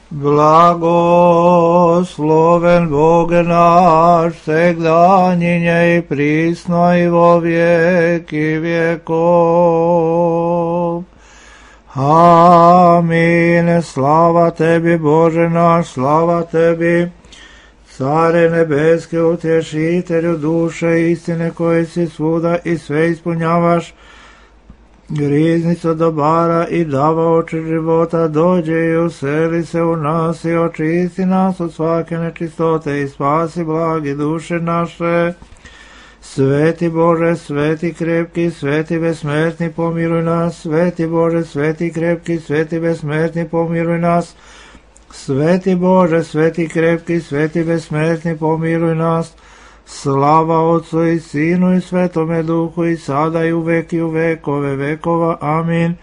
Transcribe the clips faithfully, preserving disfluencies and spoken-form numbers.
Blagosloven Bog naš, segdanjinje i prisno i vo vijeki vjekov. Amin. Slava tebi, Bože naš, slava tebi, Care nebeske, utješitelju duše istine, koji si svuda i sve ispunjavaš, riznicu dobara i davaoče života, dođe i useli se u nas i očisti nas od svake nečistote i spasi blagi duše naše. Sveti Bože, sveti krepki, sveti besmrtni, pomiluj nas. Sveti Bože, sveti krepki, sveti besmrtni, pomiluj nas. Sveti Bože, sveti krepki, sveti besmrtni, pomiluj nas. Slava Otcu i Sinu i Svetome Duhu, i sada i uvek i u vekove vekova. Amin.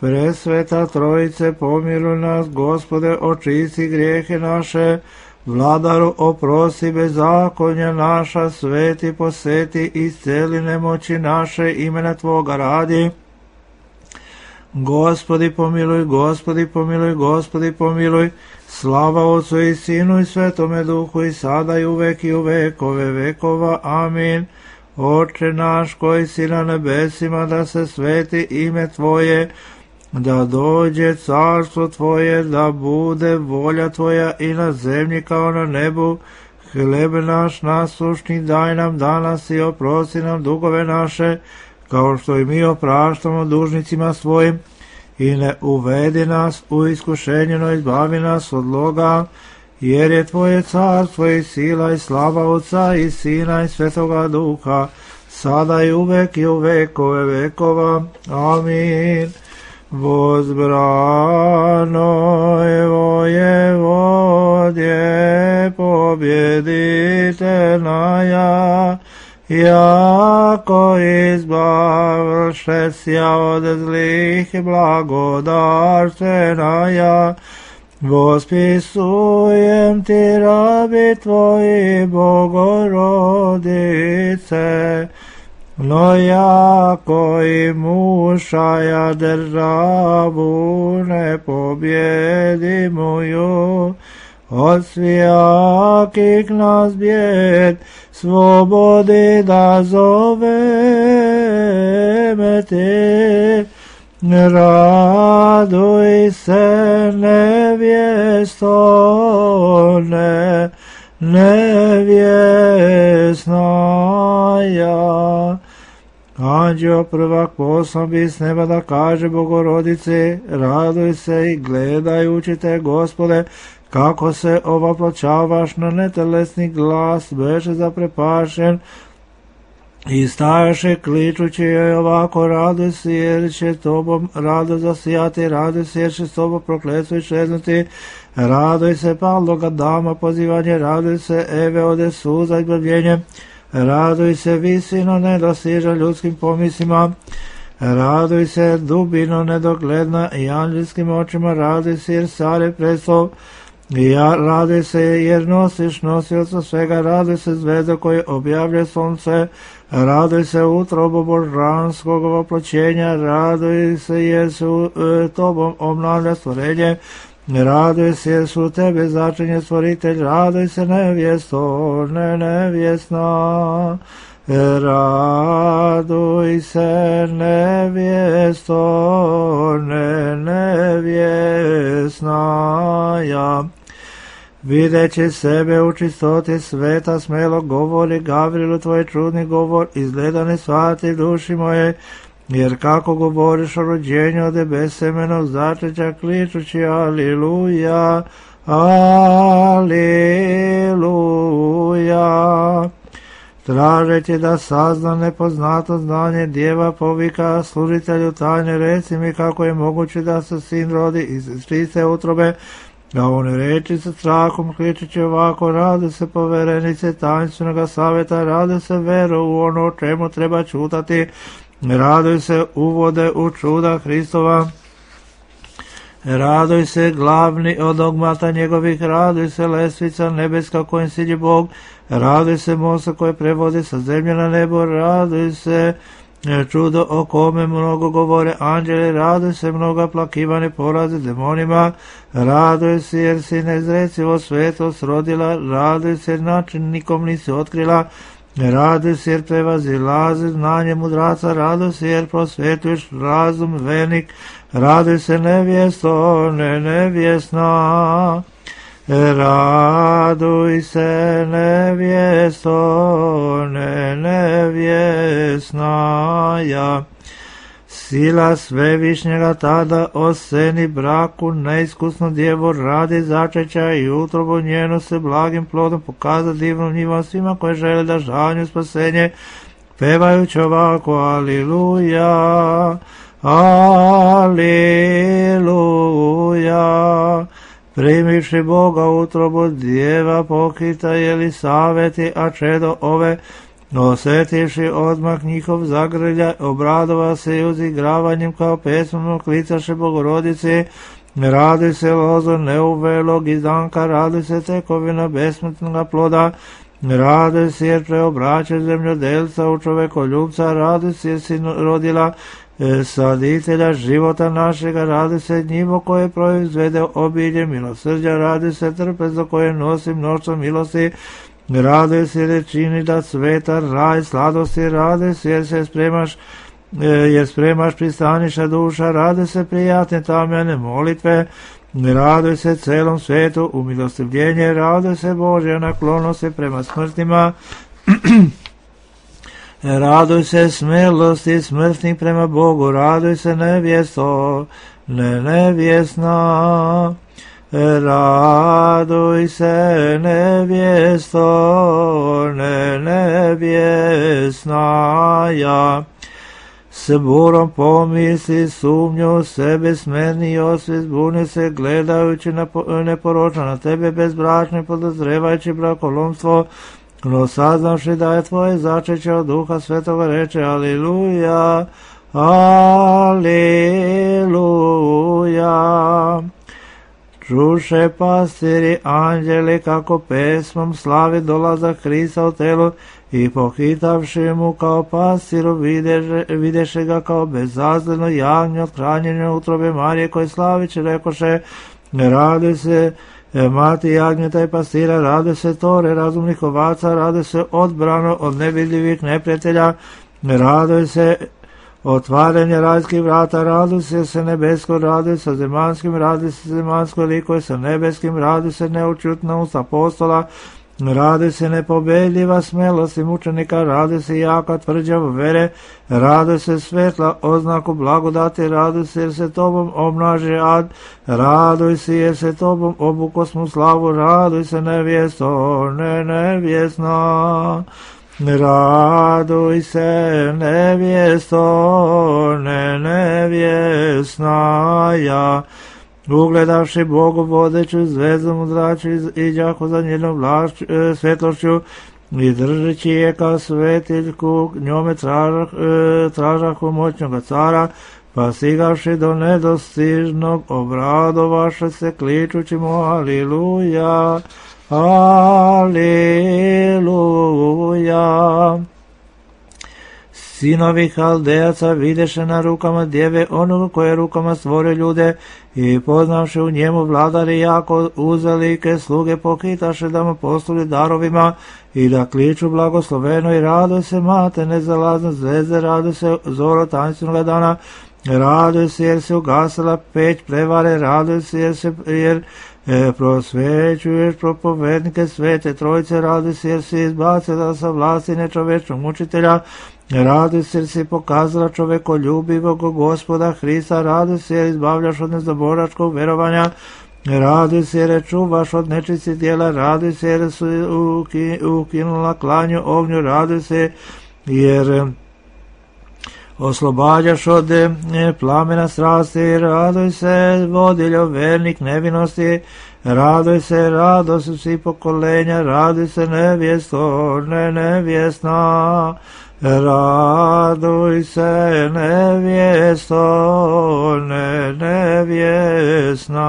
Presveta Trojice, pomiluj nas. Gospode, očisti grijehe naše. Vladaru, oprosti bezakonja naša. Sveti, poseti, isceli nemoći naše, imena Tvoga radi. Gospodi pomiluj, Gospodi pomiluj, Gospodi pomiluj. Slava Otcu i Sinu i Svetome Duhu, i sada i uvek i u vekove vekova. Amin. Oče naš koji si na nebesima, da se sveti ime Tvoje, da dođe carstvo Tvoje, da bude volja Tvoja i na zemlji kao na nebu. Hleb naš nasušni daj nam danas i oprosti nam dugove naše, kao što i mi opraštamo dužnicima svojim. I ne uvedi nas u iskušenje, no izbavi nas od zloga, jer je Tvoje carstvo i sila i slava Otca i Sina i Svetoga Duha, sada i uvek i u vekove vekova. Amin. Возбранoj Воеводje, pobjeditelnaja, jako izbavše sja od zlih blagodarstvenaja, vospisujem ti rabi Tvoji, Bogorodice, no jako i mušaja državu ne pobjedimuju, od svijakih nas bijed slobodi da zoveme te. Raduj se nevjesto, ne, nevjesnaja. Anđeo prvak poslan bi s neba da kaže Bogorodice, raduj se i gledajući te, Gospode, kako se ovapločavaš na netelesni glas, beše zaprepašen i stajaše kličući joj ovako, raduj se jer će tobom rado zasijati, raduj se jer će s tobom prokletstvo iščeznuti, raduj se padloga dama pozivanje, raduj se Eve ode suza izbavljenje, raduj se visino nedosiža ljudskim pomislima, raduj se dubino nedogledna i anđelskim očima, raduj se jer sare prestol, ja raduj se jer nosiš nosioca svega, raduj se zvezda koje objavlja sunce, raduj se utrobo božanskog oploćenja, raduj se jer su e, tobom obnavlja stvorenje, raduj se jer su tebe začinje stvoritelj, raduj se nevjesto, ne nevjesna, raduj se nevjesto, ne nevjesnaja. Videći sebe u čistoti sveta, smelo govori Gavrilu tvoj čudni govor, izgleda ne shvati duši moje, jer kako govoriš o rođenju od besemenog začeća, kličući aliluja, aliluja. Tražeći da sazna nepoznato znanje, djeva povika služitelju tajne, reci mi kako je moguće da se sin rodi iz čiste utrobe, a on reči sa strahom, kličeći ovako, rade se poverenice tajnstvenog savjeta, rade se veru u ono o čemu treba čutati, raduj se uvode u čuda Hristova, raduj se glavni od dogmata njegovih, raduj se lesvica nebeska kojim siđe Bog, raduj se mosta koje prevodi sa zemlje na nebo, raduj se čudo o kome mnogo govore anđeli, raduj se mnoga plakivane poraze demonima, raduj se jer si neizrecivo svetost rodila, raduj se jer način nikom nisi otkrila, raduj se jer prevazilazi znanje mudraca, raduj se jer prosvetuješ razum vernik, raduj se nevjesto, ne nevjesna. Raduj se nevjesto, ne nevjesnaja. Sila svevišnjega tada oseni braku neiskusno djevo radi začeća i utrobu njenu se blagim plodom pokaza divnom njivom svima koje žele da žanju spasenje, pevajući ovako aliluja, aliluja. Primivši Boga utrobu djeva pokita Jelisaveti, a čedo ove, osjetivši odmah njihov zagrlja, obradova se i uzigravanjem kao pesmom klicaše Bogorodici, raduj se lozo neuvelog izdanka, raduj se tekovina besmrtnog ploda, raduj se jer preobraća zemljodelca u čovekoljubca, raduj se jer si rodila saditelja života našega, radi se njivo koje proizvede obilje milosrđa, radi se trpezo koje nosi mnoštvo milosti, radi se jer čini da sveta raj sladosti, radi se jer se spremaš jer spremaš pristaniša duša, radi se prijatne tamjane molitve, raduj se celom svetu umilostivljenje, raduj se Božja naklonosti prema smrtima, raduj se smelosti smrtnih prema Bogu, raduj se nevjesto, ne nevjesna, raduj se nevjesto, ne nevjesnaja. S burom pomisli sumnju sebe smerni i osvijest zbuni se gledajući neporočno na tebe bezbračni podozrevajući brakolomstvo, no saznavši da je tvoje začeće od Duha Svetoga reče aliluja, aliluja. Čuše pastiri anđeli kako pesmom slavi dolazak Hrista u telu i pohitavši mu kao pastiru videše, videše ga kao bezazleno jagnje od hranjenja utrobe Marije koje slaviće rekoše raduj se mati jagnjeta i pastira, rade se tore razumnih ovaca, rade se odbrano od nevidljivih neprijatelja, raduj se otvaranje rajskih vrata, raduj se se nebesko, raduj se zemanskim, raduj se zemansko likuje sa nebeskim, raduj se neučutna usta apostola, raduj se nepobedljiva smelost i mučenika, raduj se jaka tvrđava vere, raduj se svetla oznaku blagodati, raduj se jer se tobom obnaži ad, raduj se jer se tobom obukosmu slavu, raduj se nevjesto, ne nevjesna, raduj se nevjesto, ne nevjesnaja. Ugledavši Bogu vodeću zvezdu mudraču i đako za njenom vlašću, e, svetlošću i držeći je kao svetiljku, njome tražah, e, tražahu moćnoga cara, pa stigavši do nedostižnog obradovaše se kličući mu aliluja, aliluja. Sinovi Haldejaca videše na rukama djeve onoga koje rukama stvore ljude i poznavši u njemu vladari jako uzalike sluge pohitaše da mu postuli darovima i da kliču blagosloveno i raduj se mate nezalazne zvezde, raduj se zoro tanstvenoga dana, raduj se jer se ugasila peć prevare, raduj se jer se jer E, prosvećuješ propovednike svete trojice, raduj se jer si izbacila sa vlasti nečovečnog mučitelja, raduj se jer si pokazala čovekoljubivog Gospoda Hrista, raduj se jer izbavljaš od nezaboračkog verovanja, raduj se jer čuvaš od nečistih djela, raduj se jer su uki, ukinula klanju ognju, raduj se jer oslobađaš od e, plamena strasti, raduj se vodiljo vernik nevinosti, raduj se radost svih pokolenja, raduj se nevjesto, ne nevjesna, raduj se nevjesto, ne nevjesnaja.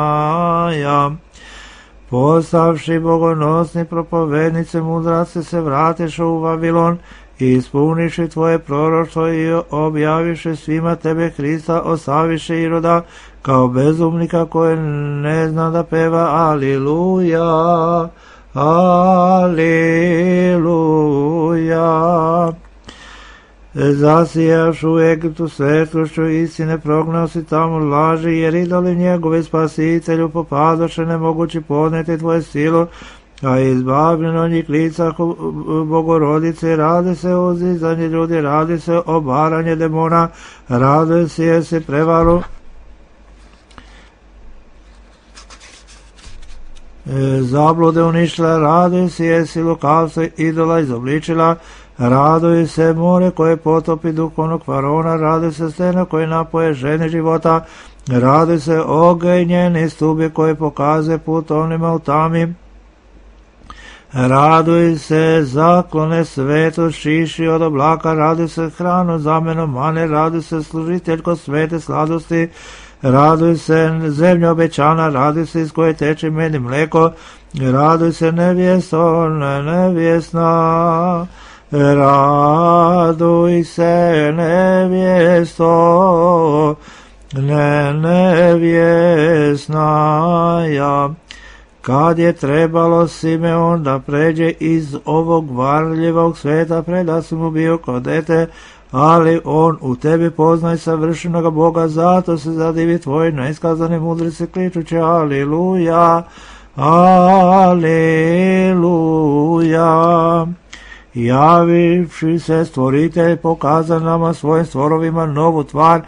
Postavši bogonosni propovednice mudrace se vratiš u Vavilon i ispuniši tvoje proroštvo i objaviši svima tebe Hrista, ostaviši Iroda kao bezumnika koji ne zna da peva Aliluja, Aliluja. Zasijaš u Egiptu svetlošću istine, prognao si tamo laži, jer idoli njegovi spasitelju popadoše, nemogući podneti tvoje silu, a izbavljeno njih lica Bogorodice, radi se o uzdizanje ljudi, radi se o baranje demona, radi se jesi prevaru zablude uništila, raduj se jesi lukavstvo idola izobličila, raduj se more koje potopi duhovnog faraona, raduj se stena koje napoje žene života, raduj se oganj njeni stubi koje pokazuje put onima u tami, raduj se zaklone svetu šiši od oblaka, raduj se hranu zameno mane, raduj se služiteljko svete sladosti, raduj se zemlja obećana, raduj se iz koje teče med i mleko, raduj se nevjesto, nevjesna, raduj se nevjesto, ne nevjesna ja. Kad je trebalo Simeon da pređe iz ovog varljivog sveta, preda si mu bio kao dete, ali on u tebi poznaj savršenog Boga, zato se zadivi tvoj neiskazane mudrice kličući Aliluja, Aliluja. Javivši se stvoritelj pokaza nama svojim stvorovima novu tvar,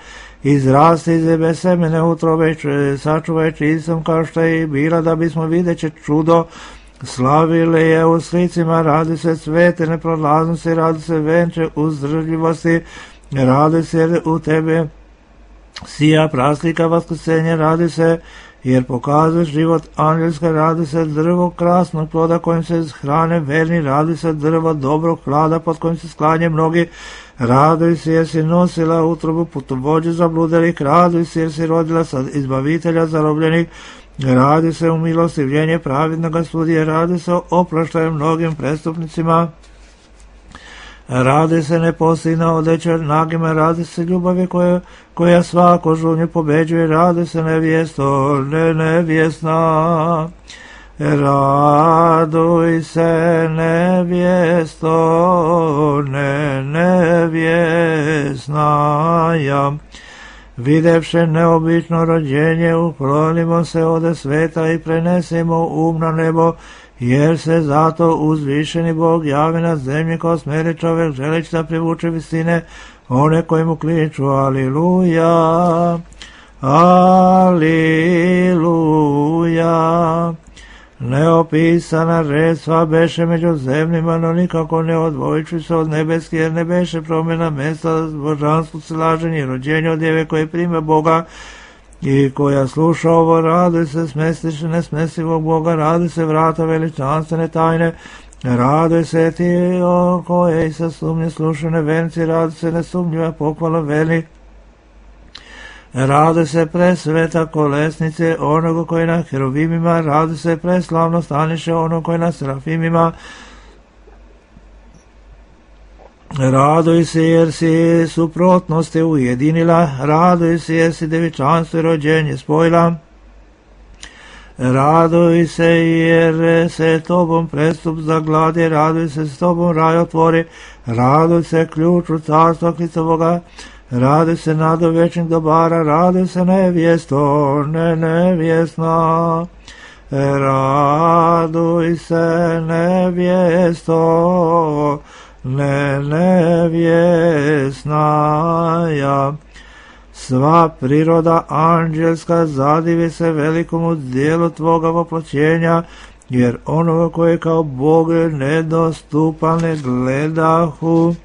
izrasti iz jebe semene utrobe, sačuvaj čistom kao što je i bila, da bismo videće čudo slavili je u slicima, radi se svete neprolaznosti, radi se venče uzdržljivosti, radi se u tebe sija praslika vaskrsenja, radi se jer pokazuješ život angelska, radi se drvo krasnog ploda kojim se hrane verni, radi se drvo dobrog hlada pod kojim se sklanje mnogi, raduj se jer si nosila utrobu putovođe zabludelih, raduj se jer si rodila sad izbavitelja zarobljenih, radi se u milostivljenje pravidnoga sudije, radi se o oproštaju mnogim prestupnicima, radi se nepostina odeća nagima, radi se ljubavi koja, koja svako žunju pobeđuje, radi se nevjesto, ne nevjesna, raduj se nevjesto, ne nevjesna ja. Videvše neobično rođenje, uklonimo se ode sveta i prenesemo um na nebo, jer se zato uzvišeni Bog javi na zemlji kao smeri čovjek, želeći da privuče visine one koji mu kliču Aliluja, Aliluja. Neopisana redstva beše među zemljima, no nikako ne odvojići se od nebeski, jer ne beše promjena mjesta božanstvu silaženje i rođenje od djeve koje prime Boga i koja sluša ovo, radi se smestiše nesmestivog Boga, radi se vrata veličanstvene tajne, radi se ti o koje se sumnje slušane venci, radi se nesumnjiva pohvala veli, radi se presveta kolesnice onoga koji na heruvimima, radi se preslavno staniše onoga koji na serafimima, raduj se jer si suprotnosti ujedinila, raduj se jer si devičanstvo i rođenje spojila, raduj se jer se tobom prestup zagladi, raduj se s tobom raj otvori, raduj se ključu carstva Hristovoga, raduj se nado večnih dobara, raduj se nevjesto, ne nevjesna, raduj se nevjesto, ne nevjesna ja. Sva priroda anđelska zadivi se velikomu dijelu tvoga voploćenja, jer onoga koji kao Bog nedostupan ne gledahu,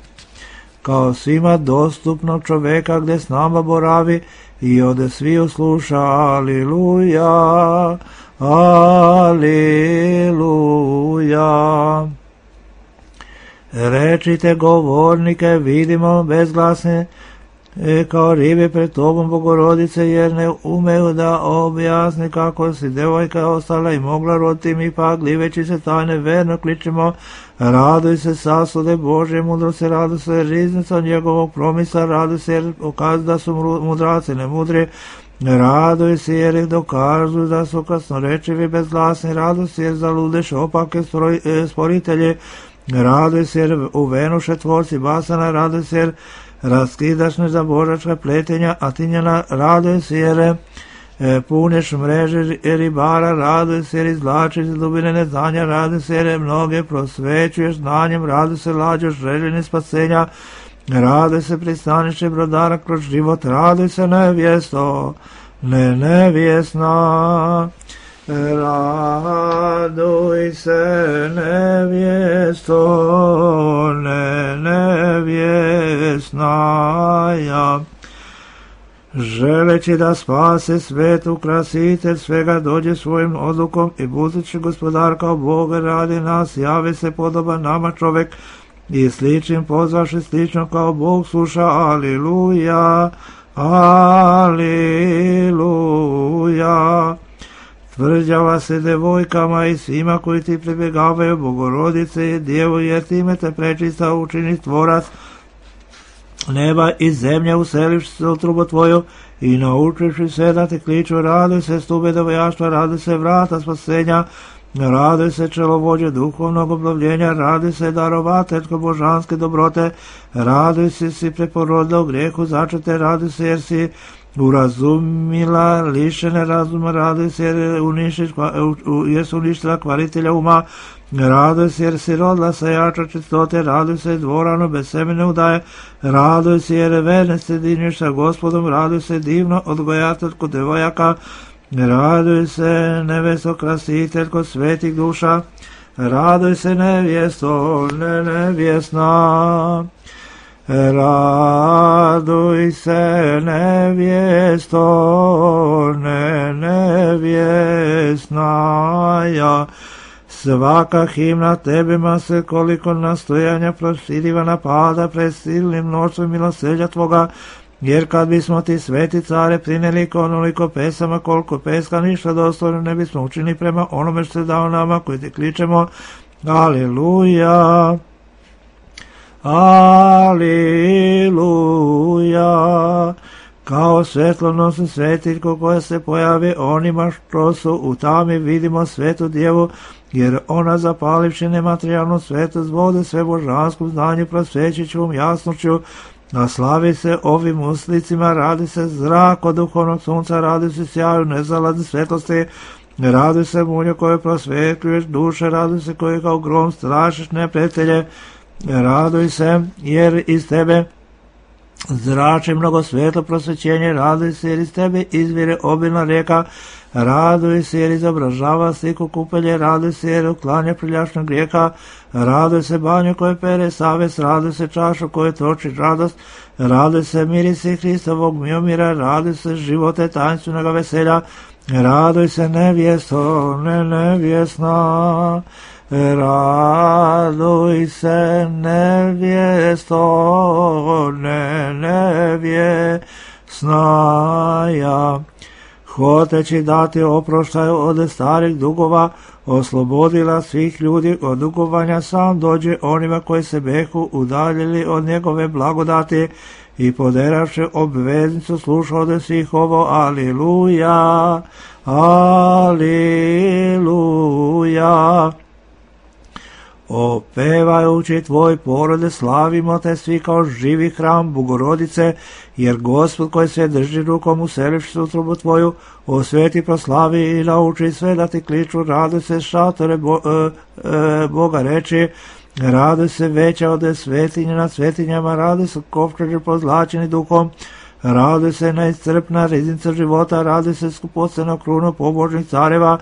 kao svima dostupnog čoveka gdje s nama boravi i ode svi usluša Aliluja, Aliluja. Rečite govornike, vidimo bezglasne, e, kao ribe pred tobom, Bogorodice, jer ne umeju da objasni kako si devojka ostala i mogla roditi, mi pak, liveći se tajne, verno kličemo, raduj se sasude Božje mudrosti, raduj se riznica njegovog promisa, raduj se jer ukaz da su mudraci ne mudri, raduj se jer ih dokazuju da su kasnorečivi bezglasni, raduj se jer zaludeš opake sporitelji, raduj se jer uvenuše tvorci basana, raduj se jer raskidaš nezabožačka pletenja, a tinjena, raduj se jer puneš mreže ribara, raduj se jer izvlačiš iz dubine neznanja, raduj se jer mnoge prosvećuješ znanjem, raduj se lađoš željeni spasenja, raduj se pristanište brodara kroz život, raduj se nevjesto, ne nevjesna, raduj se nevjesto, ne nevjesna, ja. Želeći da spase svet, ukrasitelj svega, dođe svojim odlukom i budući gospodar kao Boga radi nas, javi se podoban nama čovek i sličnim pozvaši slično kao Bog sluša, aliluja, aliluja. Tvrđava se devojkama i svima koji ti pribjegavaju, Bogorodice i Djevo, jer time te prečista učini tvorac neba i zemlje, uselivši se u trubu tvoju i naučivši se da ti kliču, raduj se stube devojaštva, raduj se vrata spasenja, raduj se čelovođe duhovnog obnovljenja, raduj se darovateljko božanske dobrote, raduj se si preporodila u grijehu začete, raduj se jer si urazumila lišene razuma, raduj se jer, uništiš, jer su uništila kvaritelja uma, raduj se jer si rodila sajača čistote, raduj se dvorano bez semene udaje, raduj se jer verne se dinješ sa Gospodom, raduj se divno odgojateljko devojaka, raduj se nevesto krasiteljko svetih duša, raduj se nevjesto, ne nevjesna, raduj se nevjesto, ne nevjesna, ja. Svaka himna tebima se koliko nastojanja proširiva napada pred silnim mnoštvom milosrđa tvoga, jer kad bismo ti sveti care prineli onoliko pesama koliko peska ništa dostojno ne bismo učinili prema onome što se dao nama koji ti kličemo, aleluja, aleluja. Kao svjetlonosni svetiljko koja se pojavi onima što su u tami, vidimo svetu Djevu, jer ona zapalivši nematerijalnu svetost vode sve božanskom znanju prosvećićom jasnoću, a slavi se ovim uslicima, radi se zrak od duhovnog sunca, radi se sjaju nezalazne svetlosti, radi se munje koje prosvetljuješ duše, radi se koje kao grom strašiš neprijatelje, raduj se jer iz tebe zrači mnogo svetlo prosvećenje, raduj se jer iz tebe izvire obilna rijeka, raduj se jer izobražava sliku kupelje, raduj se jer uklanja prljašnog grijeha, raduj se banju koje pere savest, raduj se čašu koje toči radost, raduj se mirisi Hristovog miomira, raduj se živote tanstvenoga veselja, raduj se nevjesto, ne nevjesna, raduj se nevjesto, ne nevjesna, ja. Hoteći dati oproštaju od starih dugova, oslobodila svih ljudi od dugovanja, sam dođe onima koji se behu udaljili od njegove blagodati i poderavši obveznicu sluša od svih ovo, aliluja, aliluja. Opevajući tvoj porode, slavimo te svi kao živi hram Bogorodice, jer Gospod koji sve drži rukom uselivši se u trubu tvoju, osveti, proslavi i nauči sve da ti kliču, raduj se šatore bo, e, e, Boga reči, raduj se veća od svetinje nad svetinjama, raduj se kovčeži pozlačeni duhom, raduj se neiscrpna riznica života, raduj se skupocena kruna pobožnih careva,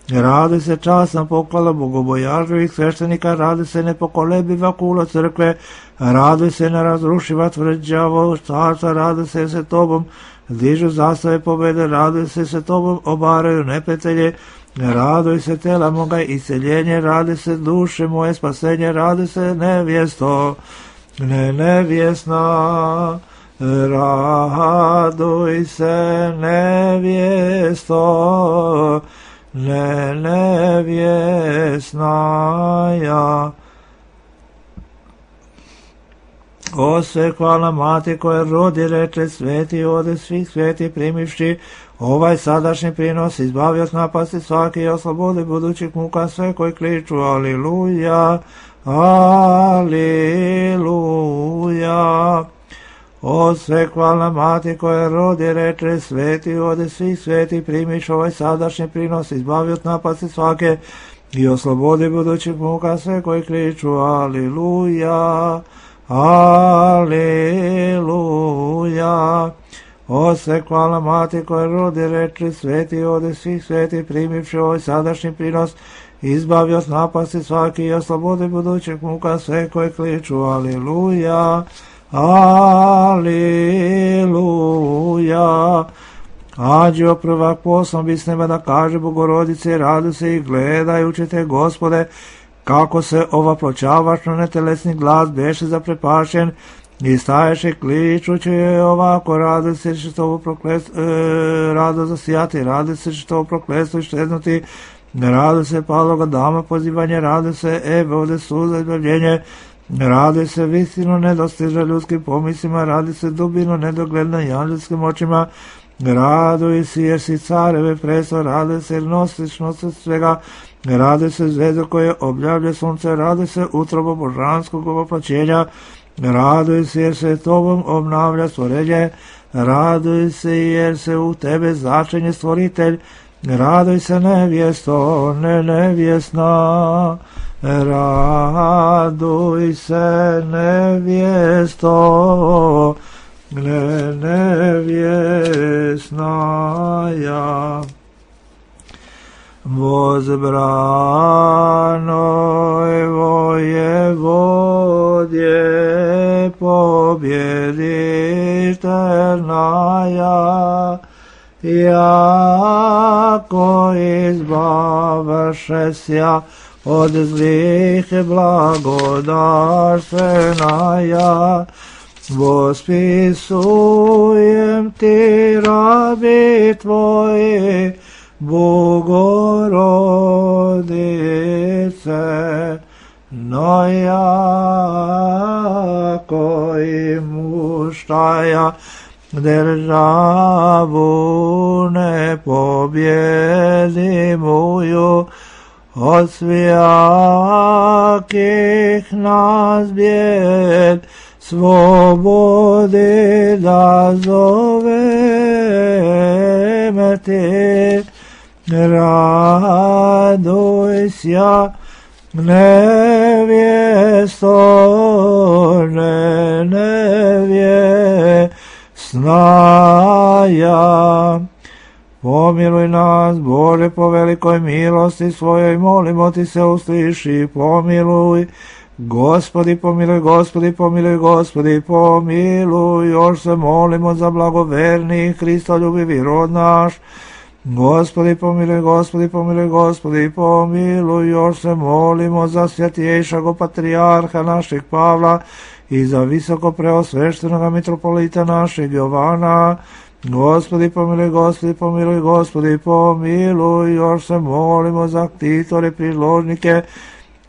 raduj se časna poklada bogobojažljivih sveštenika, raduj se nepokolebiva kula crkve, raduj se nerazrušiva tvrđavo carstva, raduj se se tobom dižu zastave pobede, raduj se se tobom obaraju neprijatelje, raduj se tela moga iseljenje, raduj se duše moje spasenje, raduj se nevjesto, ne nevjesna, raduj se nevjesto, ne nevjesnaja. O sve hvala mati koja rodi reče sveti ode svih sveti primivši ovaj sadašnji prinos, izbavi od napasti svaki i oslobodi budućih muka sve koji kliču aliluja, aliluja. O sve hvala mati koja rodi reče sveti ode svih sveti primiš ovaj sadašnji prinos, izbavi od napasti svake i oslobodi budućih muka sve koji kliču aliluja, aliluja. O sve hvala mati koja rodi reče sveti ode svih sveti primivši ovaj sadašnji prinos, izbavi od napasti svaki i oslobodi budućih muka sve koji kliču aliluja, aliluja. Anđeo prvak poslan bi s neba da kaže Bogorodice, radu se i gledajući te Gospode, kako se ova pločavaš na netelesni glas beše zaprepašen, i staješe kličući je ovako, rado se što ovo prokletstvo, e, rado zasijati, rado se što ovo prokletstvo iščeznuti, rado se paloga dama pozivanje, rado se ebe ovde suza izbavljenje, radi se vistinu nedostiže ljudskim pomislima, radi se dubinu nedogledna i anđelskim očima, raduj si jer si careve preso, radi se jer nosiš nosac svega, radi se zvezdo koje objavlja sunce, radi se utrobo božanskog ovoplaćenja, raduj se jer se tobom obnavlja stvorenje, raduj se jer se u tebe začinje stvoritelj, raduj se nevjesto, ne nevjesna, raduj se nevjesto, ne nevjesnaja. Возбранoj воеводje побjeditelnaja, jako izbavšesja od zlih blagodarstvenaja, vospisujem ti rabi tvoji, Bogorodice, no jako i muštaja državu ne pobjedimuju, od svijakih nas bijed svobodi da zoveme ti, raduj sja nevjesto, ne nevjesnaja. Pomiluj nas, Bože, po velikoj milosti svojoj, molimo ti se, usliši, pomiluj. Gospodi, pomiluj, Gospodi, pomiluj, Gospodi, pomiluj. Još se molimo za blagoverni Hristoljubivi rod naš. Gospodi, pomiluj, Gospodi, pomiluj, Gospodi, pomiluj. Još se molimo za svjetiješago patrijarha našeg Pavla i za visoko preosveštenoga mitropolita našeg Jovana. Gospodi, pomiluj, Gospodi, pomiluj, Gospodi, pomiluj. Još se molimo za ktitore, priložnike,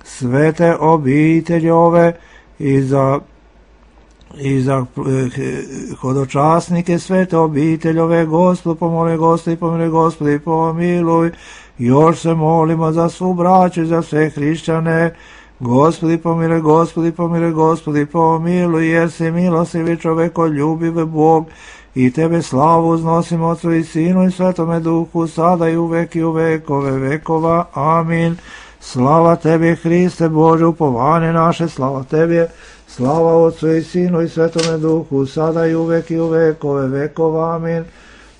svete obitelji ove i za i za hodočasnike svete obiteljove. Gospod pomoli, Gospodi, pomiluj, Gospodi, pomiluj. Još se molimo za svu braću i za sve hrišćane. Gospodi, pomiluj, Gospodi, pomiluj, Gospodi, pomiluj, jer si milostivi čoveko ljubiv Bog, i tebe slavu uznosimo Otcu i Sinu i Svetome Duhu, sada i uvek i u vekove vekova. Amin. Slava tebi, Hriste Bože, upovanje naše, slava tebi, slava Otcu i Sinu i Svetome Duhu, sada i uvek i u vekove vekova. Amin.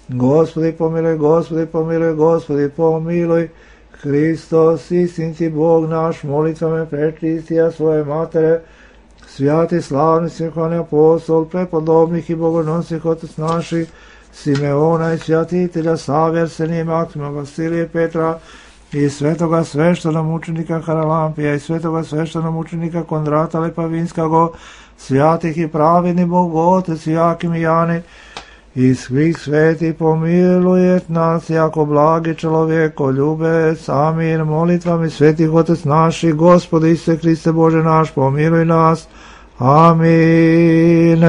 Gospodi pomiluj, Gospodi pomiluj, Gospodi pomiluj. Hristos, istinci Bog naš, molitvama prečistija svoje matere, svjati slavni sinhvani apostol, prepodobnih i bogonosnih otac naših, Simeona i svjatitelja Save, Arsenija, Maksima, Vasilije, Petra, i svetoga sveštena mučenika Haralampija, i svetoga sveštena mučenika Kondrata Lepavinskago, svjatih i pravedni Bog Otec, Jakim i Jani, i svih sveti pomiluj nas, jako blagi čovjeko ljubec. Amin. Molitvami svetih Otec naših, Gospode Isuse Hriste Bože naš, pomiluj nas. Amin.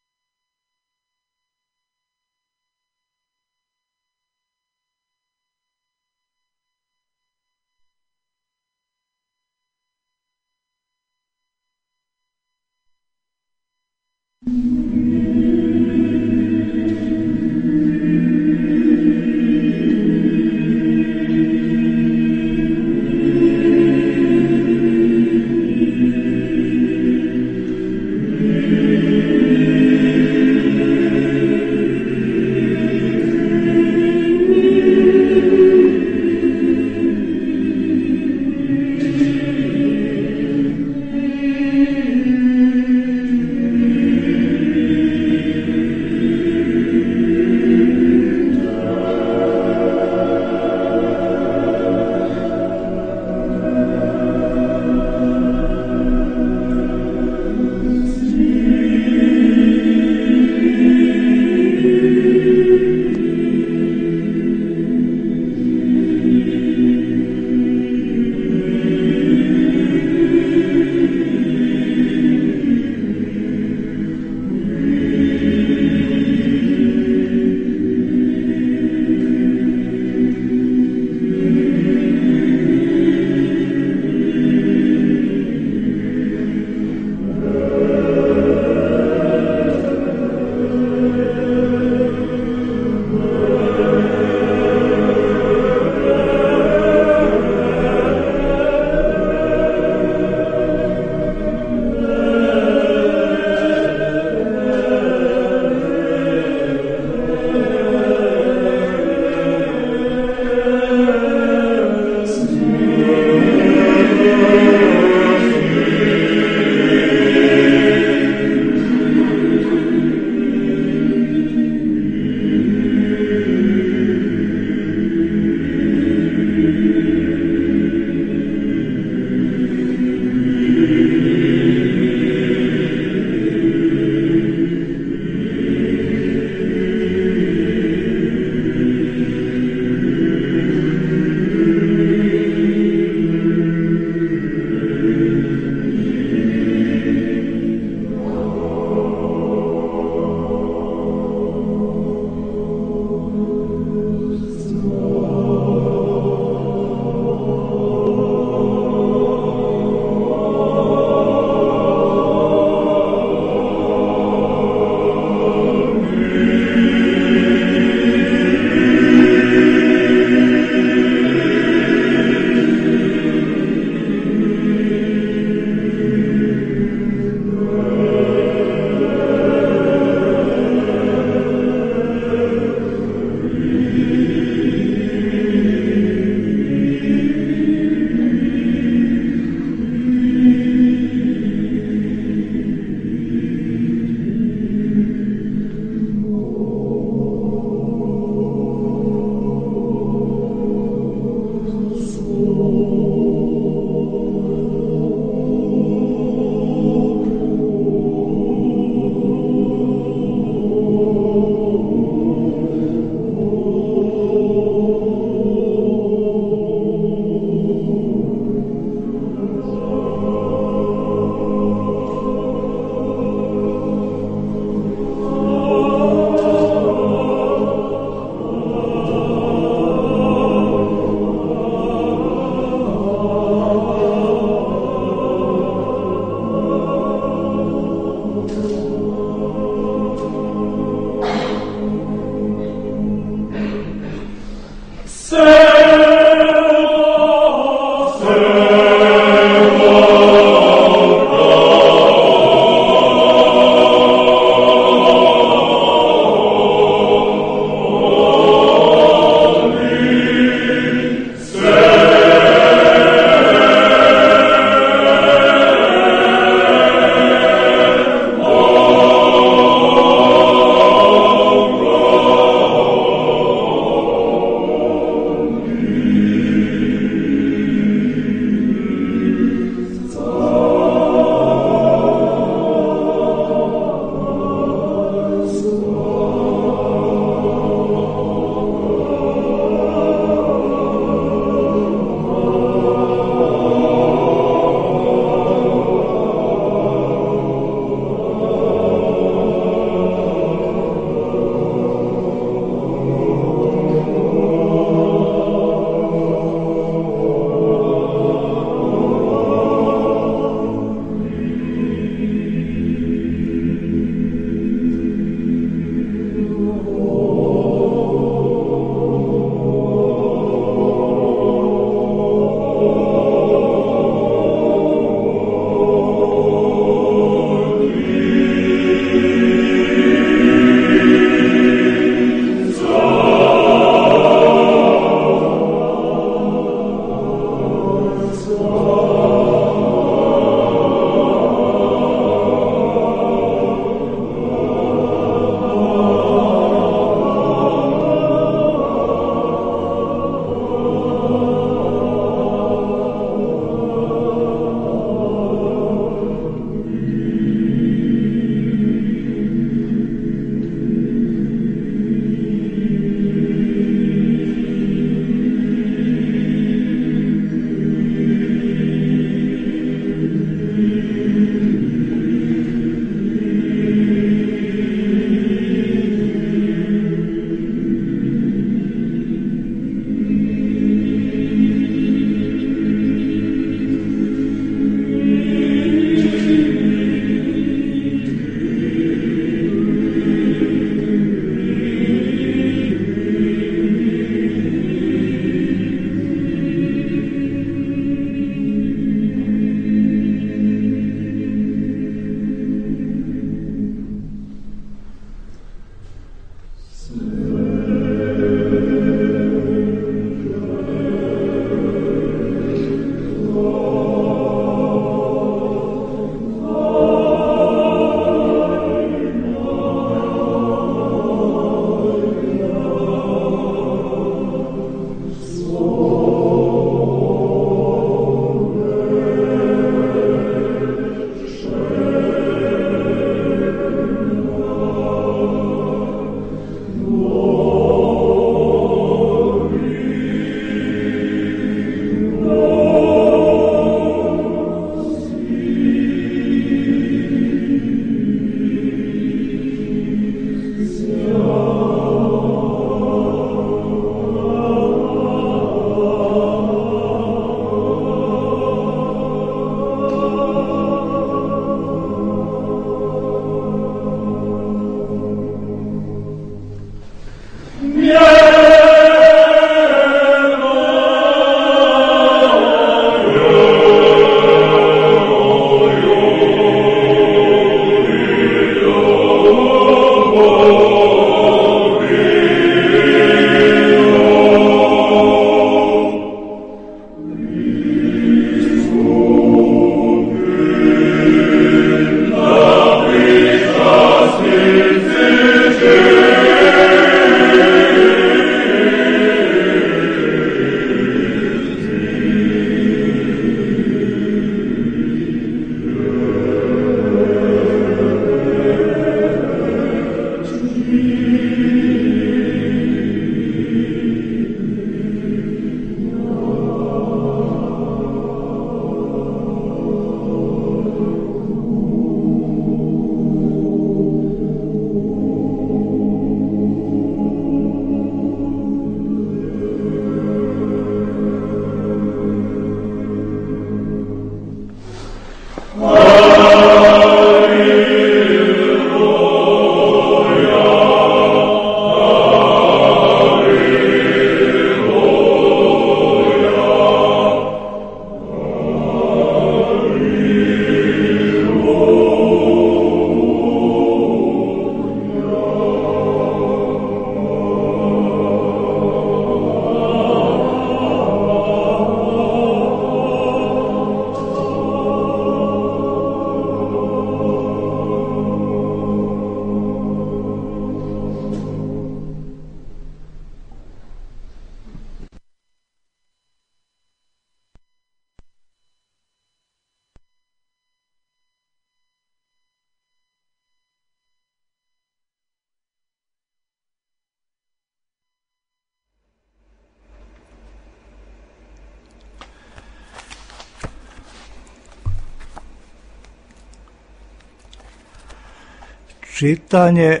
Čitanje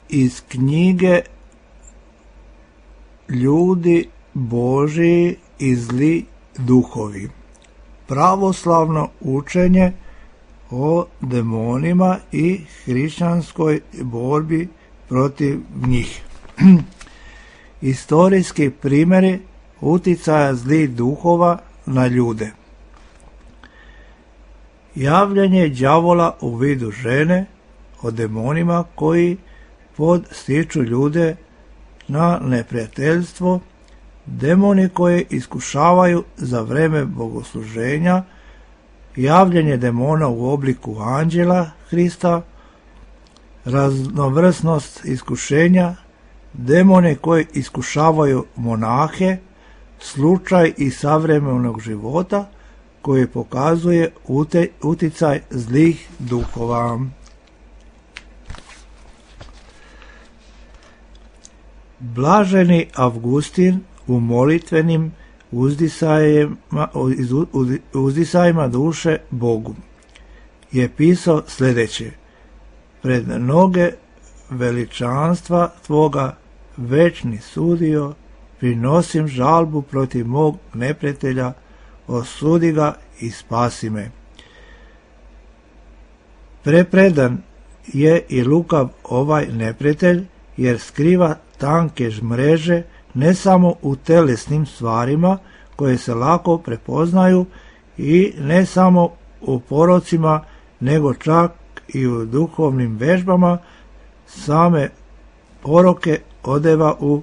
iz knjige Ljudi Božiji i zli duhovi. Pravoslavno učenje o demonima i hrišćanskoj borbi protiv njih. Istorijski primjeri uticaja zlih duhova na ljude. Javljanje đavola u vidu žene o demonima koji podstiču ljude na neprijateljstvo, demoni koji iskušavaju za vreme bogosluženja, javljanje demona u obliku anđela Hrista, raznovrsnost iskušenja, demoni koji iskušavaju monahe, slučaj iz savremenog života koji pokazuje uticaj zlih duhova. Blaženi Avgustin u molitvenim uzdisajima, uzdisajima duše Bogu je pisao sljedeće: pred noge veličanstva tvoga, večni sudio, prinosim žalbu protiv mog neprijatelja, osudi ga i spasi me. Prepredan je i lukav ovaj neprijatelj, jer skriva tanke mreže ne samo u telesnim stvarima koje se lako prepoznaju i ne samo u porocima, nego čak i u duhovnim vežbama, same poroke odeva u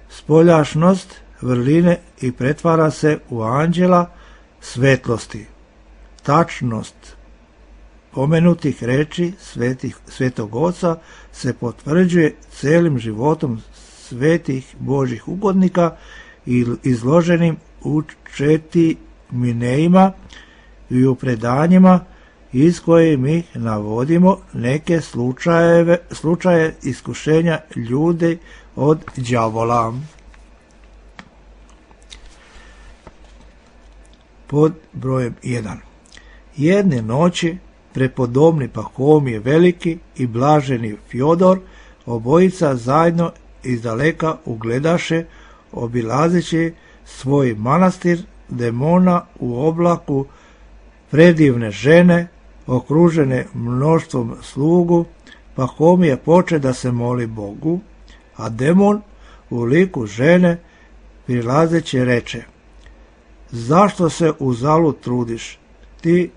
spoljašnost vrline i pretvara se u anđela svetlosti. Tačnost pomenutih reči svetih, svetog oca se potvrđuje celim životom svetih Božih ugodnika i izloženim u četi minejima i u predanjima iz koje mi navodimo neke slučajeve, slučaje iskušenja ljudi od đavola. Pod brojem jedan. Jedne noći prepodobni Pahomije Veliki i blaženi Fjodor, obojica zajedno izdaleka ugledaše, obilazeći svoj manastir, demona u oblaku predivne žene, okružene mnoštvom slugu. Pahomije poče da se moli Bogu, a demon u liku žene prilazeći reče: zašto se uzalud trudiš? Ti,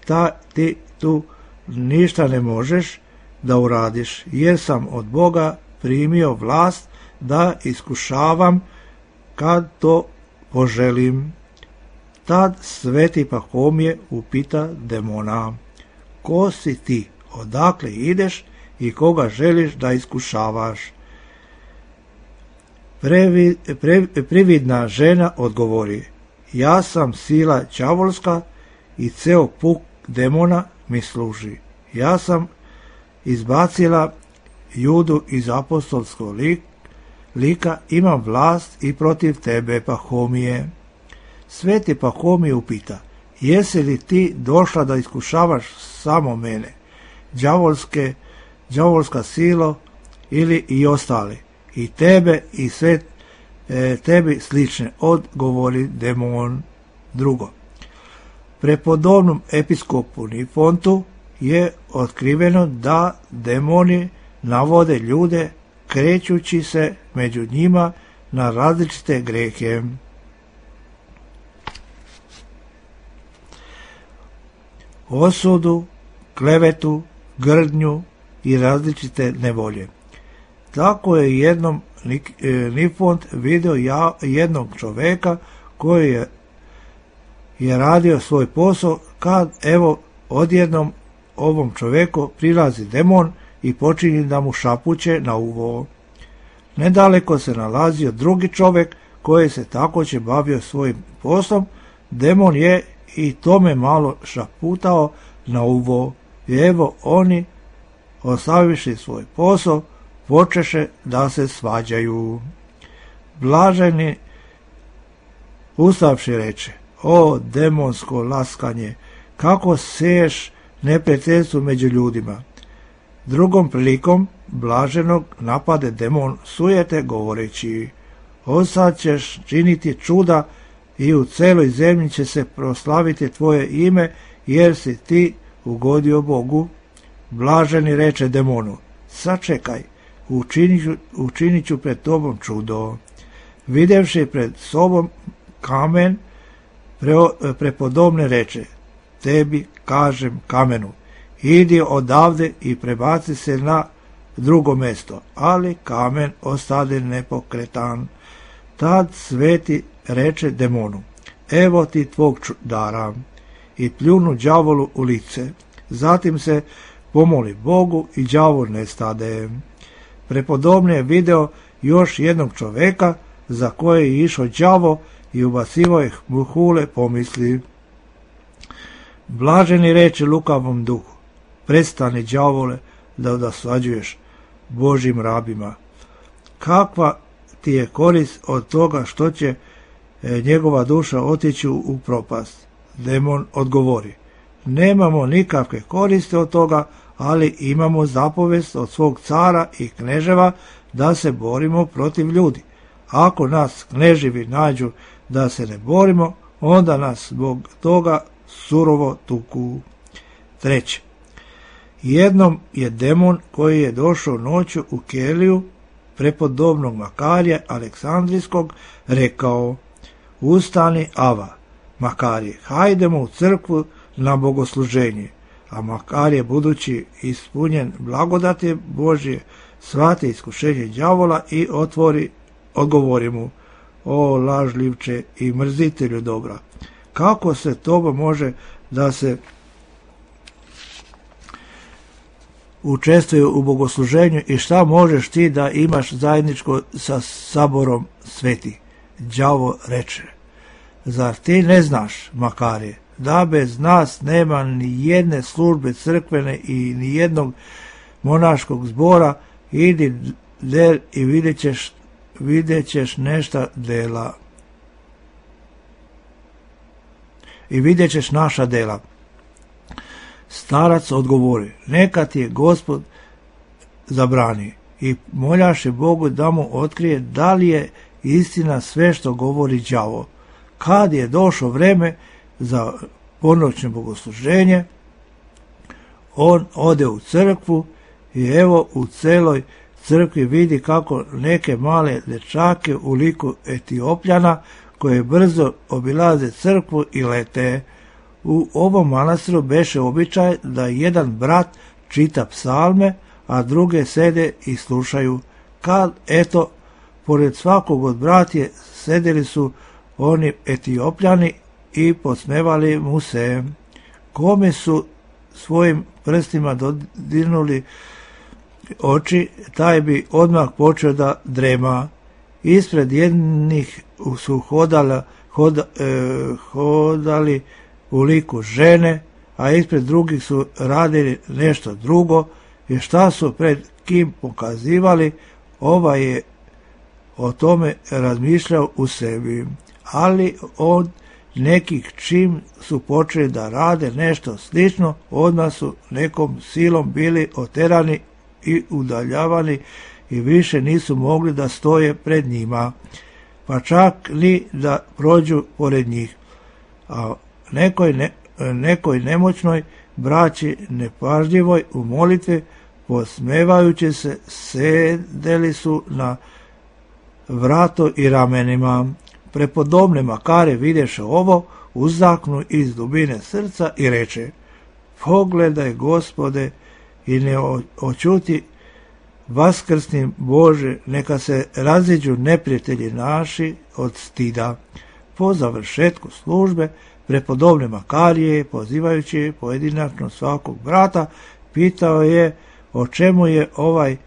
ta, ti tu ništa ne možeš da uradiš, jer sam od Boga primio vlast da iskušavam kad to poželim. Tad sveti Pahomije upita demona: ko si ti, odakle ideš i koga želiš da iskušavaš? Previ, pre, prividna žena odgovori: ja sam sila đavolska i ceo puk demona mi služi. Ja sam izbacila Judu iz apostolskog lika, imam vlast i protiv tebe, Pahomije. Sveti Pahomije upita: jesi li ti došla da iskušavaš samo mene, đavolske, đavolska silo, ili i ostali, i tebe i sve e, tebi slične? Odgovori demon. Drugo. Prepodobnom episkopu Nifontu je otkriveno da demoni navode ljude krećući se među njima na različite grehe. Osudu, klevetu, grdnju i različite nevolje. Tako je jednom Nifont vidio ja, jednog čoveka koji je, je radio svoj posao, kad evo odjednom ovom čoveku prilazi demon i počinje da mu šapuće na uvo. Nedaleko se nalazio drugi čovek koji se također bavio svojim poslom. Demon je i tome malo šaputao na uvo. I evo oni, ostavivši svoj posao, počeše da se svađaju. Blaženi ustavši reče: o demonsko laskanje, kako seješ neprijateljstvu među ljudima. Drugom prilikom blaženog napade demon sujete govoreći: "O sad ćeš činiti čuda i u celoj zemlji će se proslaviti tvoje ime, jer si ti ugodio Bogu." Blaženi reče demonu: "Sačekaj, učinit ću, učinit ću pred tobom čudo." Videvši pred sobom kamen, pre, prepodobne reče: "Tebi kažem kamenu, idi odavde i prebaci se na drugo mesto." Ali kamen ostade nepokretan. Tad sveti reče demonu: "Evo ti tvog dara." I pljunu đavolu u lice. Zatim se pomoli Bogu i đavol nestade. Prepodobne je video još jednog čoveka za koje je išao đavo i ubacivao ih muhule pomisli. Blaženi reče lukavom duhu: "Prestani, đavole, da dosađuješ Božjim rabima. Kakva ti je korist od toga što će e, njegova duša otići u propast?" Demon odgovori: "Nemamo nikakve koriste od toga, ali imamo zapovest od svog cara i kneževa da se borimo protiv ljudi. Ako nas kneževi nađu da se ne borimo, onda nas zbog toga surovo tuku." Treće. Jednom je demon koji je došao noću u keliju prepodobnog Makarija Aleksandrijskog rekao: "Ustani, Ava, Makarije, hajdemo u crkvu na bogosluženje." A Makarije, budući ispunjen blagodati Božje, shvati iskušenje đavola i otvori, odgovori mu: "O lažljivče i mrzitelju dobra, kako se toba može da se učestvuje u bogosluženju i šta možeš ti da imaš zajedničko sa saborom sveti?" Đavo reče: "Zar ti ne znaš, Makarije, da bez nas nema ni jedne službe crkvene i ni jednog monaškog zbora? Idi del i vidjet ćeš, vidjet ćeš nešta dela. I vidjet ćeš naša dela." Starac odgovori: "Neka ti je Gospod zabrani." I moljaše Bogu da mu otkrije da li je istina sve što govori đavo. Kad je došlo vreme za ponoćno bogosluženje, on ode u crkvu i evo u celoj crkvi vidi kako neke male dečake u liku Etiopljana koje brzo obilaze crkvu i lete. U ovom manastiru beše običaj da jedan brat čita psalme, a druge sede i slušaju. Kad, eto, pored svakog od bratije sedeli su oni Etiopljani i podsmevali mu se. Kome su svojim prstima dodirnuli oči, taj bi odmah počeo da drema. Ispred jednih su hodala, hoda, e, hodali u liku žene, a ispred drugih su radili nešto drugo, i šta su pred kim pokazivali, ovaj je o tome razmišljao u sebi. Ali od nekih čim su počeli da rade nešto slično, odmah su nekom silom bili oterani i udaljavani i više nisu mogli da stoje pred njima, pa čak ni da prođu pored njih. A nekoj, ne, nekoj nemoćnoj braći nepažljivoj u molitvi, posmevajući se, sedeli su na vrato i ramenima. Prepodobne Makare videše ovo, uzdahnu iz dubine srca i reče: "Pogledaj, Gospode, i ne očuti vaskrsni Bože, neka se raziđu neprijatelji naši od stida." Po završetku službe, prepodobne Makarije, pozivajući pojedinačno svakog brata, pitao je o čemu je ovaj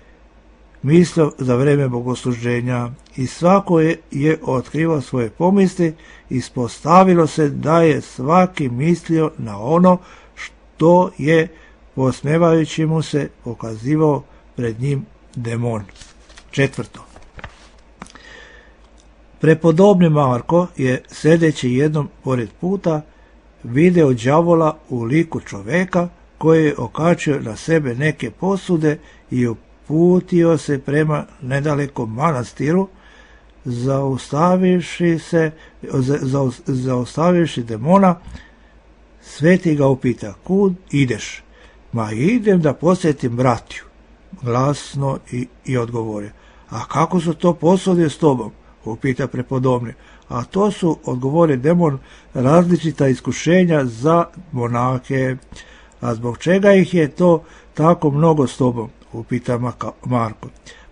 mislio za vreme bogosluženja, i svako je, je otkrivao svoje pomisli. Ispostavilo se da je svaki mislio na ono što je, posmevajući mu se, pokazivao pred njim demon. Četvrto. Prepodobni Marko je, sedeći jednom pored puta, video đavola u liku čoveka koji je okačio na sebe neke posude i uputio se prema nedalekom manastiru, zaustavivši se, za, zaustavivši demona, sveti ga upita: kud ideš? Ma idem da posjetim bratiju, glasno i, i odgovori. A kako su to posude s tobom? Upita prepodobni. A to su, odgovori demon, različita iskušenja za monake. A zbog čega ih je to tako mnogo s tobom? Upita Marko.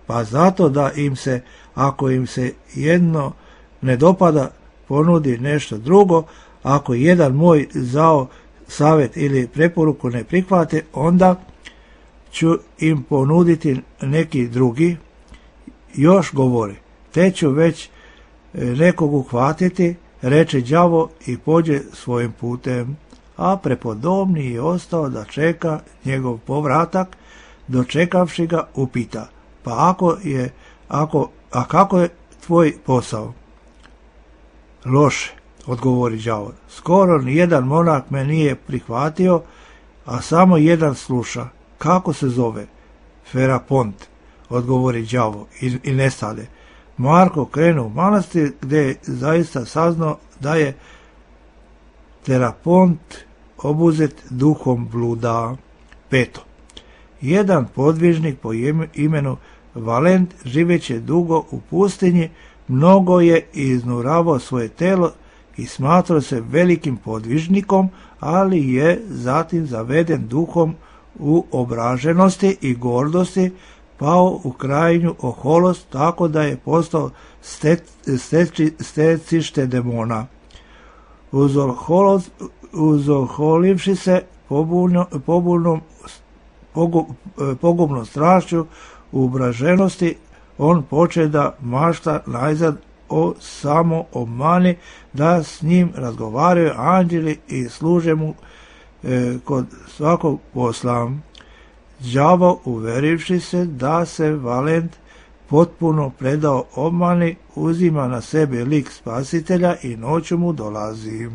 Pa zato da im se, ako im se jedno ne dopada, ponudi nešto drugo. Ako jedan moj zao savjet ili preporuku ne prihvate, onda ću im ponuditi neki drugi. Još govori: te ću već nekog uhvatiti, reče đavo i pođe svojim putem. A prepodobni je ostao da čeka njegov povratak. Dočekavši ga, upita: pa ako je, ako, a kako je tvoj posao? Loše, odgovori đavo. Skoro ni jedan monak me nije prihvatio, a samo jedan sluša. Kako se zove? Ferapont, odgovori đavo i, i nestade. Marko krenu u manastir, gdje je zaista saznao da je Terapont obuzet duhom bluda. Peto. Jedan podvižnik po imenu Valent, živeći dugo u pustinji, mnogo je iznuravao svoje telo i smatrao se velikim podvižnikom, ali je zatim zaveden duhom u obraženosti i gordosti, pao u krajnju oholost, tako da je postao stecište demona. Uzoholivši se pobulnom, pogubnom strašću u obraženosti, on poče da mašta najzad o samo obmani, da s njim razgovaraju anđeli i služe mu e, kod svakog posla. Đavo, uverivši se da se Valent potpuno predao obmani, uzima na sebe lik spasitelja i noću mu dolazi.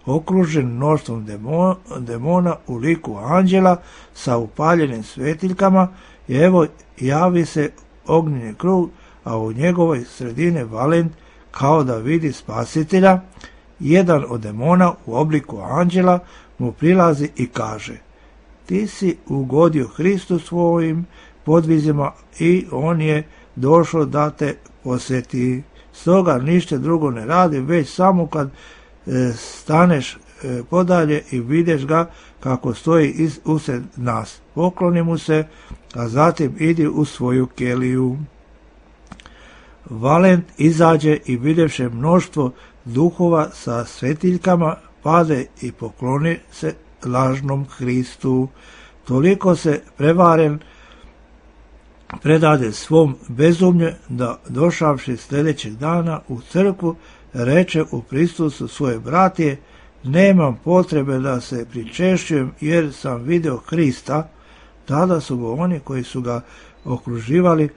Okružen mnoštvom demona, demona u liku anđela sa upaljenim svetiljkama, i evo javi se ognjeni krug, a u njegovoj sredini Valent kao da vidi spasitelja. Jedan od demona u obliku anđela mu prilazi i kaže: ti si ugodio Hristu svojim podvizima i on je došao da te posjeti. Stoga ništa drugo ne radi, već samo kad e, staneš e, podalje i vidiš ga kako stoji iz, usred nas. Pokloni mu se, a zatim idi u svoju keliju. Valent izađe i vidjevše mnoštvo duhova sa svetiljkama, pade i pokloni se lažnom Hristu. Toliko se prevaren predade svom bezumlju, da došavši sljedećeg dana u crkvu, reče u prisustvu svoje bratije: nemam potrebe da se pričešćujem, jer sam vidio Hrista. Tada su go oni koji su ga okruživali,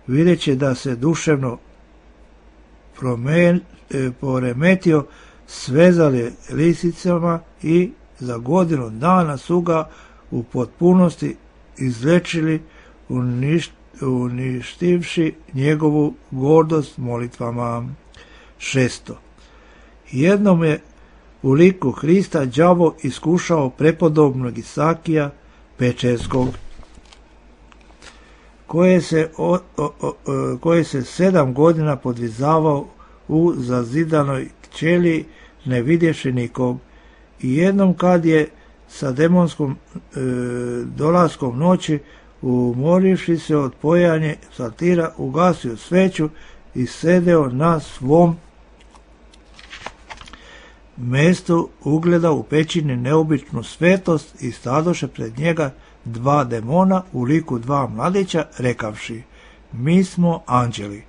vidjeći da se duševno promen, e, poremetio, svezali lisicama i za godinu dana su ga u potpunosti izlečili, uništ, uništivši njegovu gordost molitvama. Šesto. Jednom je u liku Hrista đavo iskušao prepodobnog Isakija Pečerskog, koje se, o, o, o, koje se sedam godina podvizavao u zazidanoj ćeliji, ne vidjevši nikog. I jednom kad je sa demonskom e, dolaskom noći, umorivši se od pojanje satira, ugasio sveću i sedeo na svom mestu, ugledao u pećini neobičnu svetost i stadoše pred njega dva demona u liku dva mladića, rekavši: mi smo anđeli.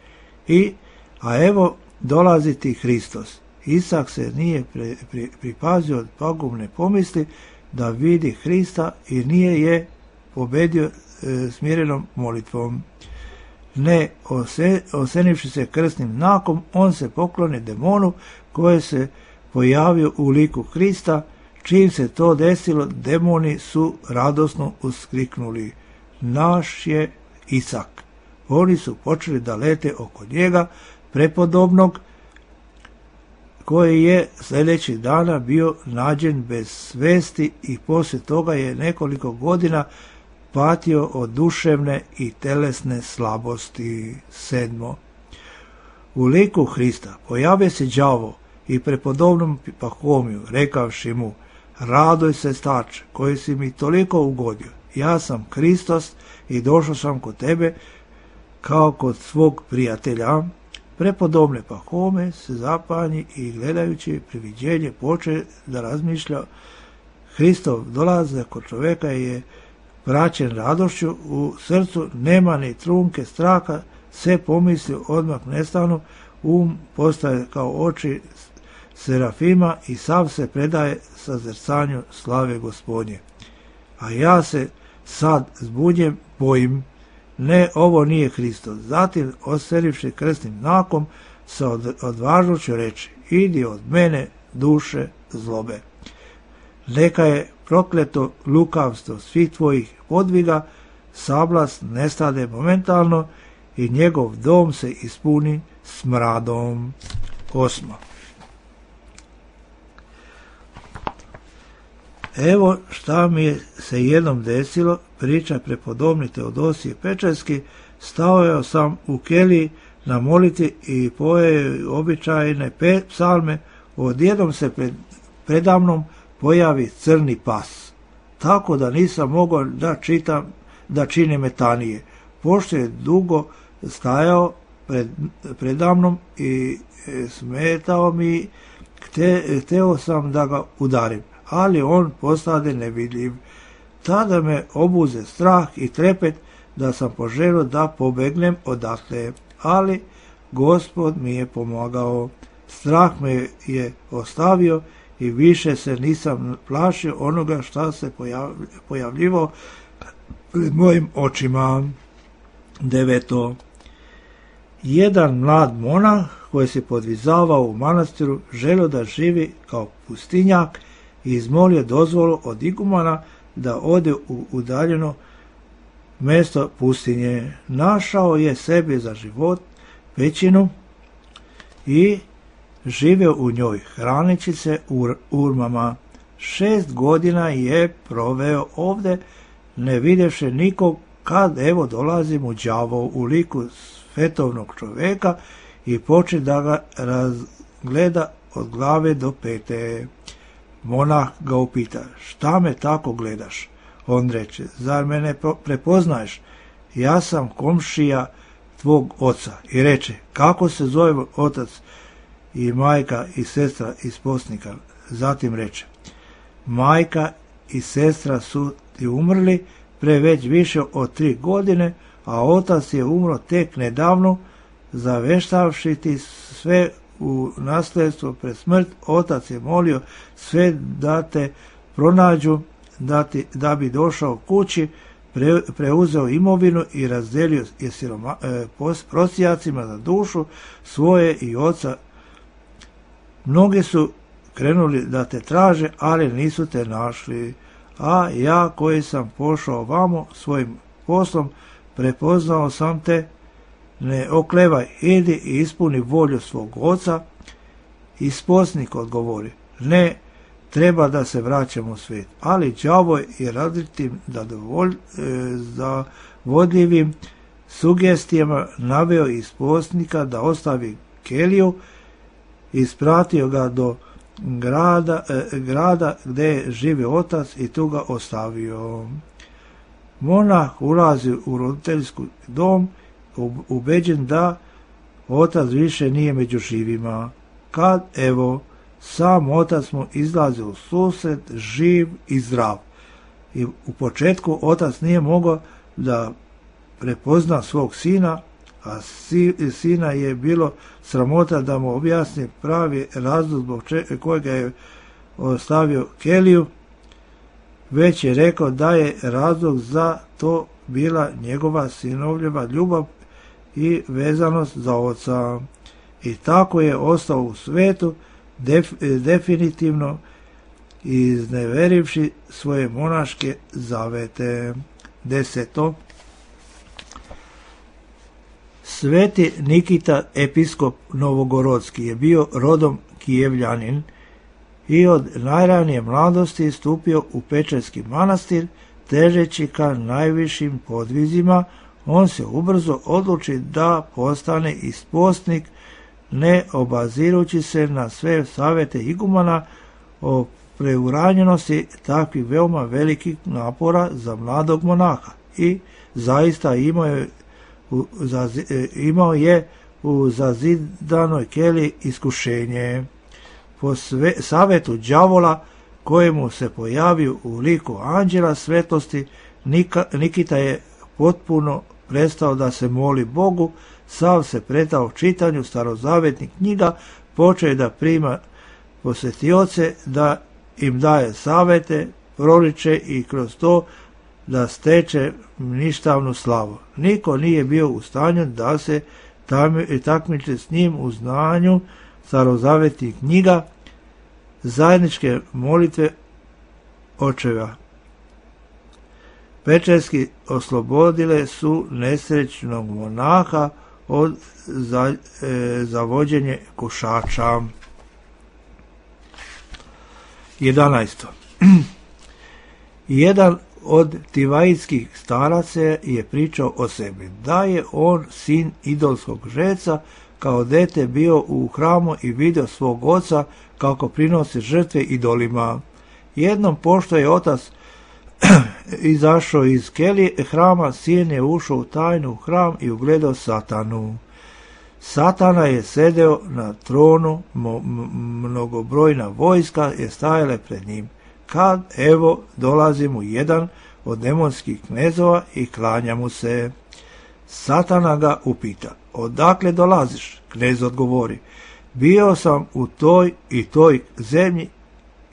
I, a evo dolazi ti Hristos. Isak se nije pri, pri, pripazio od pagubne pomisli da vidi Hrista i nije je pobedio e, smirenom molitvom. Ne ose, osenivši se krsnim znakom, on se pokloni demonu koji se pojavio u liku Hrista, Čim se to desilo, demoni su radosno uskriknuli: naš je Isak. Oni su počeli da lete oko njega, prepodobnog, koji je sljedećih dana bio nađen bez svesti i poslije toga je nekoliko godina patio od duševne i telesne slabosti. Sedmo. U liku Hrista pojave se đavo i prepodobnom Pahomiju, rekavši mu: radoj se, starče, koji si mi toliko ugodio. Ja sam Hristos i došao sam kod tebe kao kod svog prijatelja. Prepodobne Pahome se zapanji i gledajući priviđenje poče da razmišlja. Hristov dolazak kod čovjeka je praćen radošću, u srcu nema ni trunke straha, sve pomisli odmah nestanu, um postaje kao oči serafima i sav se predaje sazrcanju slave Gospodnje. A ja se sad zbunjem, bojim, ne, ovo nije Hristos. Zatim, oserivši krstnim znakom, sa od, odvažnošću reći: idi od mene, duše zlobe. Neka je prokleto lukavstvo svih tvojih podviga, sablas nestade momentalno i njegov dom se ispuni smradom. Osmo. Evo šta mi je se jednom desilo, priča prepodobni Teodosije Pečarski. Stao sam u keliji na moliti i pojeo običajne psalme. Odjednom se pred, predamnom pojavi crni pas, tako da nisam mogao da čitam, da činim metanije. Pošto je dugo stajao pred, predamnom i smetao mi, hte, hteo sam da ga udarim, ali on postade nevidljiv. Tada me obuze strah i trepet da sam poželio da pobegnem odatle, ali Gospod mi je pomogao. Strah me je ostavio i više se nisam plašio onoga šta se pojavljivao pred mojim očima. Deveto. Jedan mlad monah koji se podvizavao u manastiru želio da živi kao pustinjak i izmolio dozvolu od igumana da ode u udaljeno mjesto pustinje. Našao je sebi za život pećinu i živio u njoj, hranići se ur, urmama. Šest godina je proveo ovdje, ne vidjevši nikog, kad evo dolazi mu đavo u liku svetovnog čovjeka i poče da ga razgleda od glave do pete. Monah ga upita: šta me tako gledaš? On reče: zar me ne prepoznaješ? Ja sam komšija tvog oca. I reče: kako se zove otac i majka i sestra iz posnika? Zatim reče: majka i sestra su ti umrli pre već više od tri godine, a otac je umro tek nedavno, zaveštavši ti sve u nasljedstvo pred smrt. Otac je molio sve da te pronađu, da, ti, da bi došao kući, pre, preuzeo imovinu i razdelio je siroma, e, prosijacima za dušu svoje i oca. Mnogi su krenuli da te traže, ali nisu te našli. A ja koji sam pošao vamo svojim poslom, prepoznao sam te. Ne oklevaj, idi i ispuni volju svog oca. Isposnik odgovori: ne, treba da se vraćamo u svijet. Ali đavo je različitim da dovolj, e, za vodljivim sugestijama naveo isposnika da ostavi keliju, ispratio ga do grada, e, grada gdje živi otac i tu ga ostavio. Monah ulazi u roditeljski dom, ubeđen da otac više nije među živima. Kad evo sam otac mu izlazi u susret, živ i zdrav. I u početku otac nije mogao da prepozna svog sina, a si, sina je bilo sramota da mu objasni pravi razlog zbog kojega je ostavio keliju. Već je rekao da je razlog za to bila njegova sinovljeva ljubav i vezanost za oca. I tako je ostao u svetu def, definitivno izneverivši svoje monaške zavete. Deseto. Sveti Nikita, episkop Novogorodski, je bio rodom Kijevljanin i od najranije mladosti stupio u Pečerski manastir, težeći ka najvišim podvizima. On se ubrzo odluči da postane ispostnik, ne obazirući se na sve savete igumana o preuranjenosti takvih veoma velikih napora za mladog monaha, i zaista imao je u, zazi, imao je u zazidanoj keli iskušenje. Po sve, savetu đavola, kojemu se pojavio u liku anđela svetlosti, Nika, Nikita je potpuno prestao da se moli Bogu, sav se predao čitanju starozavetnih knjiga, počeo je da prima posjetioce, da im daje savete, proriče i kroz to da steče ništavnu slavu. Niko nije bio u stanju da se takmiči s njim u znanju starozavetnih knjiga, zajedničke molitve očeva. Pečerski oslobodile su nesrećnog monaha od za, e, zavođenje kušača. jedanaesto. Jedan od tivajskih staraca je pričao o sebi, da je on sin idolskog žeca, kao dete bio u hramu i vidio svog oca kako prinosi žrtve idolima. Jednom, pošto je otac izašao iz kelije hrama, sin je ušao u tajnu hram i ugledao Satanu. Satana je sedeo na tronu, mnogobrojna vojska je stajala pred njim. Kad, evo, dolazi mu jedan od demonskih knezova i klanja mu se. Satana ga upita, odakle dolaziš? Knez odgovori, bio sam u toj i toj zemlji,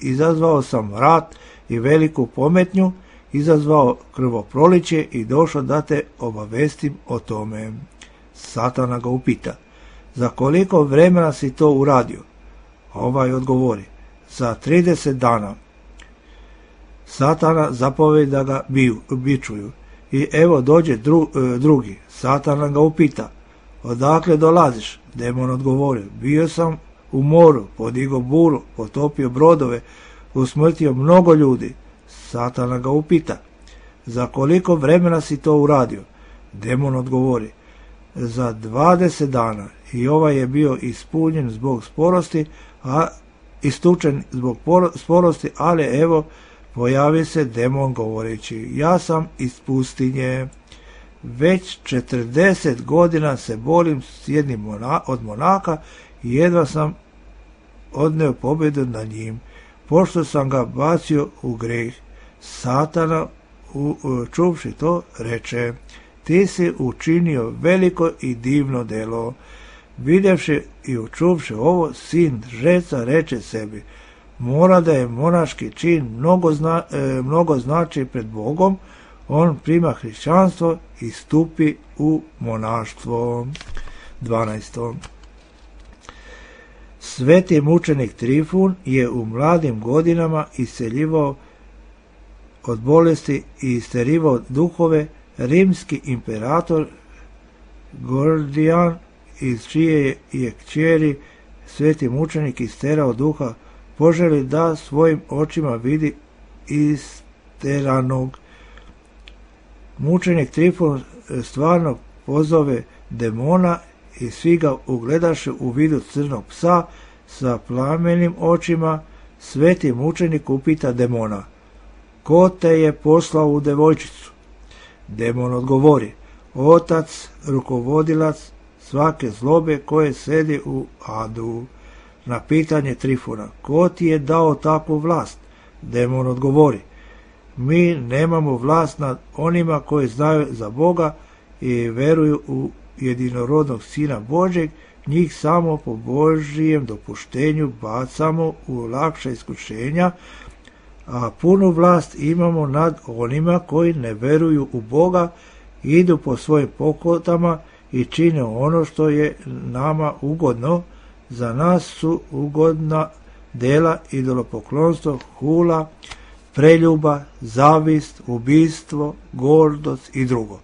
izazvao sam rat i veliku pometnju, izazvao krvoproliće i došao da te obavestim o tome. Satana ga upita, za koliko vremena si to uradio? Ovaj odgovori, za trideset dana. Satana zapovedi da ga biju, bičuju. I evo dođe dru, drugi. Satana ga upita, odakle dolaziš? Demon odgovori, bio sam u moru, podigao buru, potopio brodove, usmrtio mnogo ljudi. Satana ga upita, za koliko vremena si to uradio? Demon odgovori, za dvadeset dana. I ovaj je bio ispunjen zbog sporosti, a istučen zbog sporosti, ali evo pojavi se demon govoreći, ja sam iz pustinje. Već četrdeset godina se borim s jednim mona, od monaka i jedva sam odneo pobjedu na njim, pošto sam ga bacio u greh. Satana, u, u, čuvši to, reče, ti si učinio veliko i divno delo. Vidjevši i učuvši ovo, sin žeca reče sebi, mora da je monaški čin mnogo, zna, e, mnogo znači pred Bogom. On prima hrišćanstvo i stupi u monaštvo. dvanaesto. Sveti mučenik Trifun je u mladim godinama isceljivao od bolesti i isterivao duhove. Rimski imperator Gordijan, iz čije je kćeri sveti mučenik isterao duha, poželi da svojim očima vidi isteranog. Mučenik Trifun stvarno pozove demona i svi ga ugledaše u vidu crnog psa sa plamenim očima. Sveti mučenik upita demona, ko te je poslao u devojčicu? Demon odgovori, otac, rukovodilac svake zlobe koje sedi u adu. Na pitanje Trifuna, ko ti je dao takvu vlast? Demon odgovori, mi nemamo vlast nad onima koji znaju za Boga i veruju u jedinorodnog Sina Božjeg, njih samo po Božjem dopuštenju bacamo u lakša iskušenja, a punu vlast imamo nad onima koji ne veruju u Boga, idu po svojim pokotama i čine ono što je nama ugodno. Za nas su ugodna dela idolopoklonstvo, hula, preljuba, zavist, ubistvo, gordost i drugo.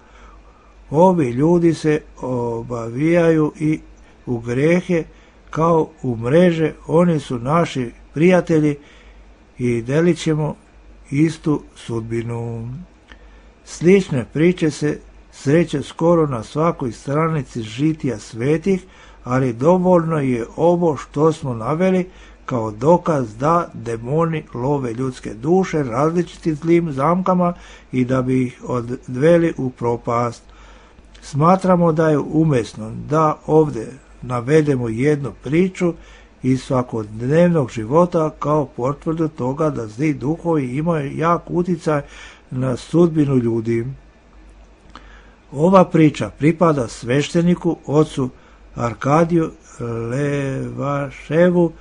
Ovi ljudi se obavijaju i u grehe kao u mreže, oni su naši prijatelji i delit ćemo istu sudbinu. Slične priče se sreće skoro na svakoj stranici žitija svetih, ali dovoljno je ovo što smo naveli kao dokaz da demoni love ljudske duše različitim zlim zamkama i da bi ih odveli u propast. Smatramo da je umesno da ovdje navedemo jednu priču iz svakodnevnog života kao potvrdu toga da zli duhovi imaju jak utjecaj na sudbinu ljudi. Ova priča pripada svešteniku ocu Arkadiju Levaševu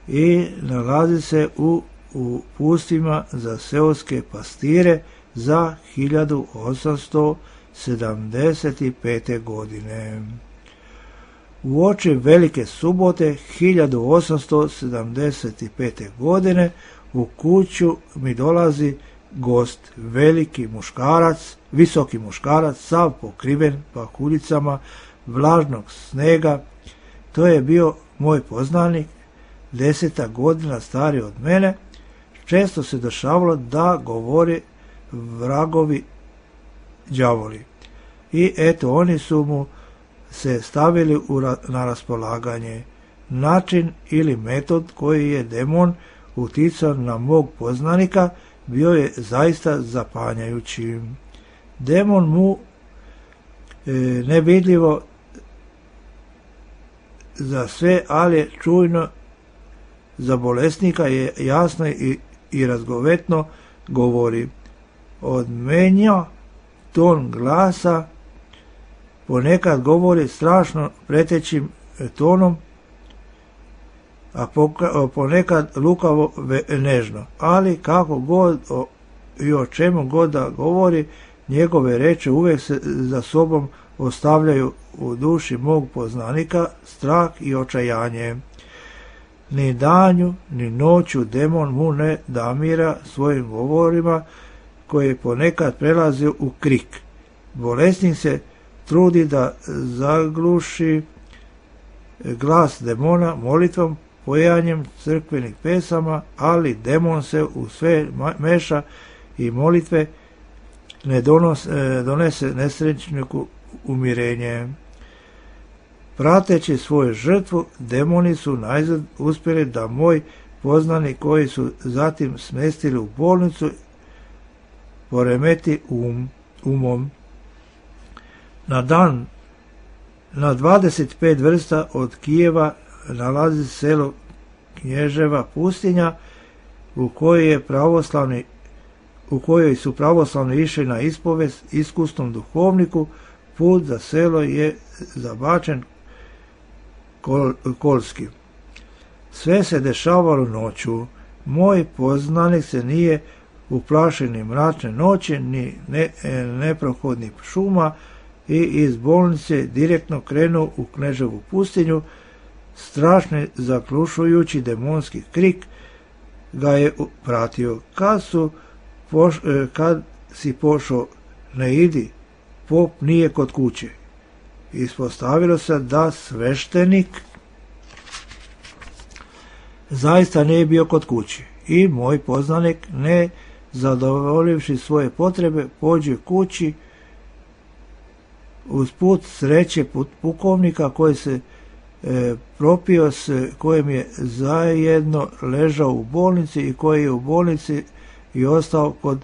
i nalazi se u, u pustima za seoske pastire za hiljadu osamsto sedamdeset pete. godine. Uoči Velike subote hiljadu osamsto sedamdeset pete. godine u kuću mi dolazi gost, veliki muškarac, visoki muškarac, sav pokriven pahuljicama vlažnog snega. To je bio moj poznanik, deseta godina stariji od mene. Često se dešavalo da govori vragovi đavoli. I eto, oni su mu se stavili u ra- na raspolaganje. Način ili metod koji je demon uticao na mog poznanika bio je zaista zapanjajući. Demon mu e, nevidljivo za sve, ali čujno za bolesnika je jasno i, i razgovetno govori. Odmenja ton glasa, ponekad govori strašno pretećim tonom, a ponekad lukavo nežno, ali kako god o, i o čemu god da govori, njegove reči uvijek se za sobom ostavljaju u duši mog poznanika strah i očajanje. Ni danju, ni noću demon mu ne damira svojim govorima koji ponekad prelazi u krik. Bolesnik se trudi da zagluši glas demona molitvom, pojanjem crkvenih pesama, ali demon se u sve meša i molitve ne donos, donese nesrećniku umirenje. Prateći svoju žrtvu, demoni su najzad uspjeli da moj poznanik koji su zatim smestili u bolnicu poremeti um, umom. Na dan, na dvadeset pet vrsta od Kijeva nalazi selo Knježeva pustinja u kojoj je pravoslavni u kojoj su pravoslavni išli na ispovest iskusnom duhovniku. Put za selo je zabačen kol, kolski. Sve se dešavalo noću. Moj poznanik se nije uplašio ni mračne noći, ni ne, neprohodnih šuma i iz bolnice direktno krenuo u Kneževu pustinju. Strašni zaklušujući demonski krik ga je pratio. Kad, su poš, kad si pošao, ne idi, pop nije kod kuće. Ispostavilo se da sveštenik zaista nije bio kod kuće i moj poznanik, ne zadovoljivši svoje potrebe, pođe kući. Uz put sreće pukovnika koji se e, propio s kojim je zajedno ležao u bolnici i koji je u bolnici i ostao kod,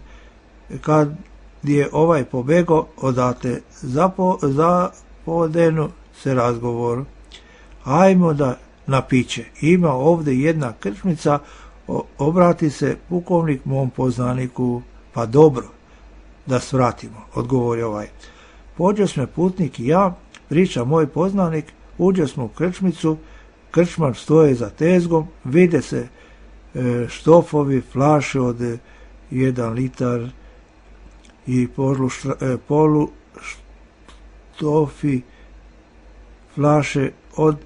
kad je ovaj pobegao odate. Zapo, zapodenu se razgovor. Ajmo da na piće. Ima ovdje jedna krčmica, o, obrati se pukovnik mom poznaniku. Pa dobro, da svratimo, odgovori ovaj. Pođo sme putnik i ja, priča moj poznanik, uđe smo u krčmicu, krčmar stoje za tezgom, vide se e, štofovi, flaše od e, jedan litar i polu, štra, e, polu štofi flaše od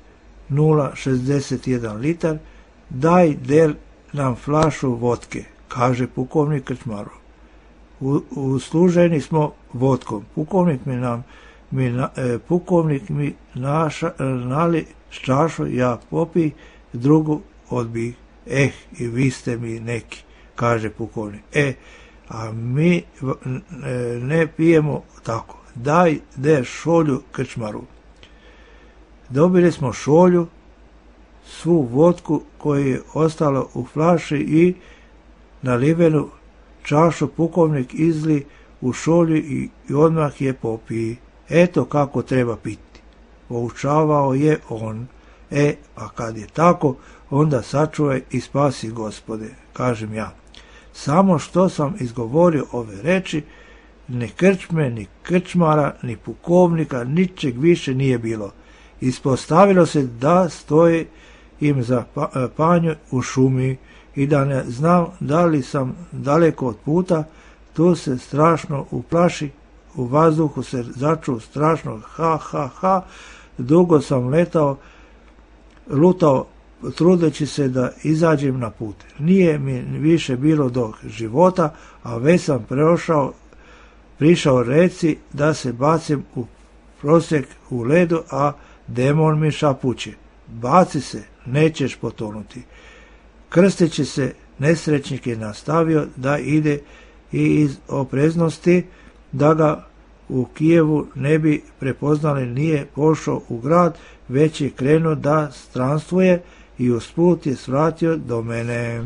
nula zarez šezdeset jedan litar, daj der nam flašu vodke, kaže pukovnik krčmaru. U, usluženi smo vodkom. Pukovnik mi nam mi, na, e, pukovnik mi naša, nali čašu, ja popi, drugu odbih. Eh, i vi ste mi neki, kaže pukovnik. E, a mi e, ne pijemo tako. Daj der šolju krčmaru. Dobili smo šolju, svu vodku koja je ostala u flaši i nalivenu čašu pukovnik izli u šolju i, i odmah je popiji. Eto kako treba piti. Poučavao je on. E, a kad je tako, onda sačuvaj i spasi, Gospode, kažem ja. Samo što sam izgovorio ove reči, ni krčme, ni krčmara, ni pukovnika, ničeg više nije bilo. Ispostavilo se da stoji im za panju u šumi i da ne znam da li sam daleko od puta, tu se strašno uplaši, u vazduhu se začuo strašno ha, ha, ha, dugo sam letao, lutao, trudeći se da izađem na put. Nije mi više bilo do života, a već sam preošao, prišao reci da se bacim u prosjek u ledu, a demon mi šapuće. Baci se, nećeš potonuti. Krsteći se, nesrećnik je nastavio da ide i iz opreznosti, da ga u Kijevu ne bi prepoznali, nije pošao u grad, već je krenuo da stranstvuje i usput je svratio do mene.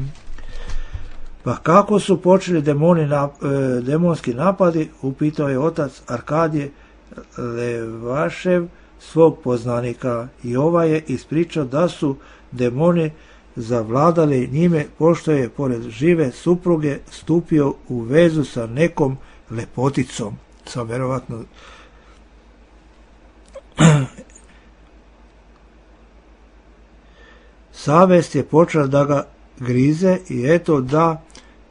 Pa kako su počeli demoni na, e, demonski napadi, upitao je otac Arkadije Levašev svog poznanika, i ovaj je ispričao da su demoni zavladali njime, pošto je pored žive supruge stupio u vezu sa nekom lepoticom, sa verovatno savest je počela da ga grize i eto da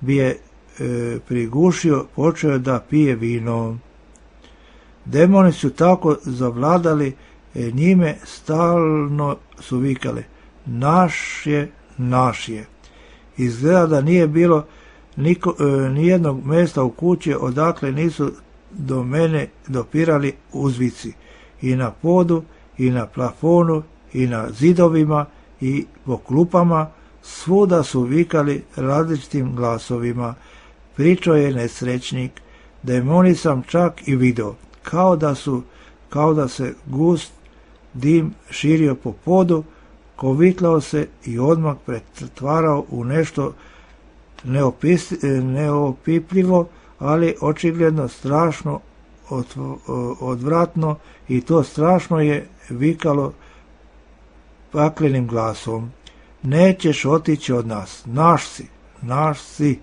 bi je e, prigušio, počeo da pije vino. Demoni su tako zavladali e, njime, stalno su vikali: naš je, naš je. Izgleda da nije bilo niko, e, nijednog mjesta u kući odakle nisu do mene dopirali uzvici. I na podu, i na plafonu, i na zidovima, i po klupama, svuda su vikali različitim glasovima. Pričao je nesrećnik: demoni sam čak i video, kao da su, kao da se gust dim širio po podu, kovitlao se i odmah pretvarao u nešto neopis, neopipljivo, ali očigledno strašno odvratno, i to strašno je vikalo paklenim glasom: nećeš otići od nas, naš si, naš si.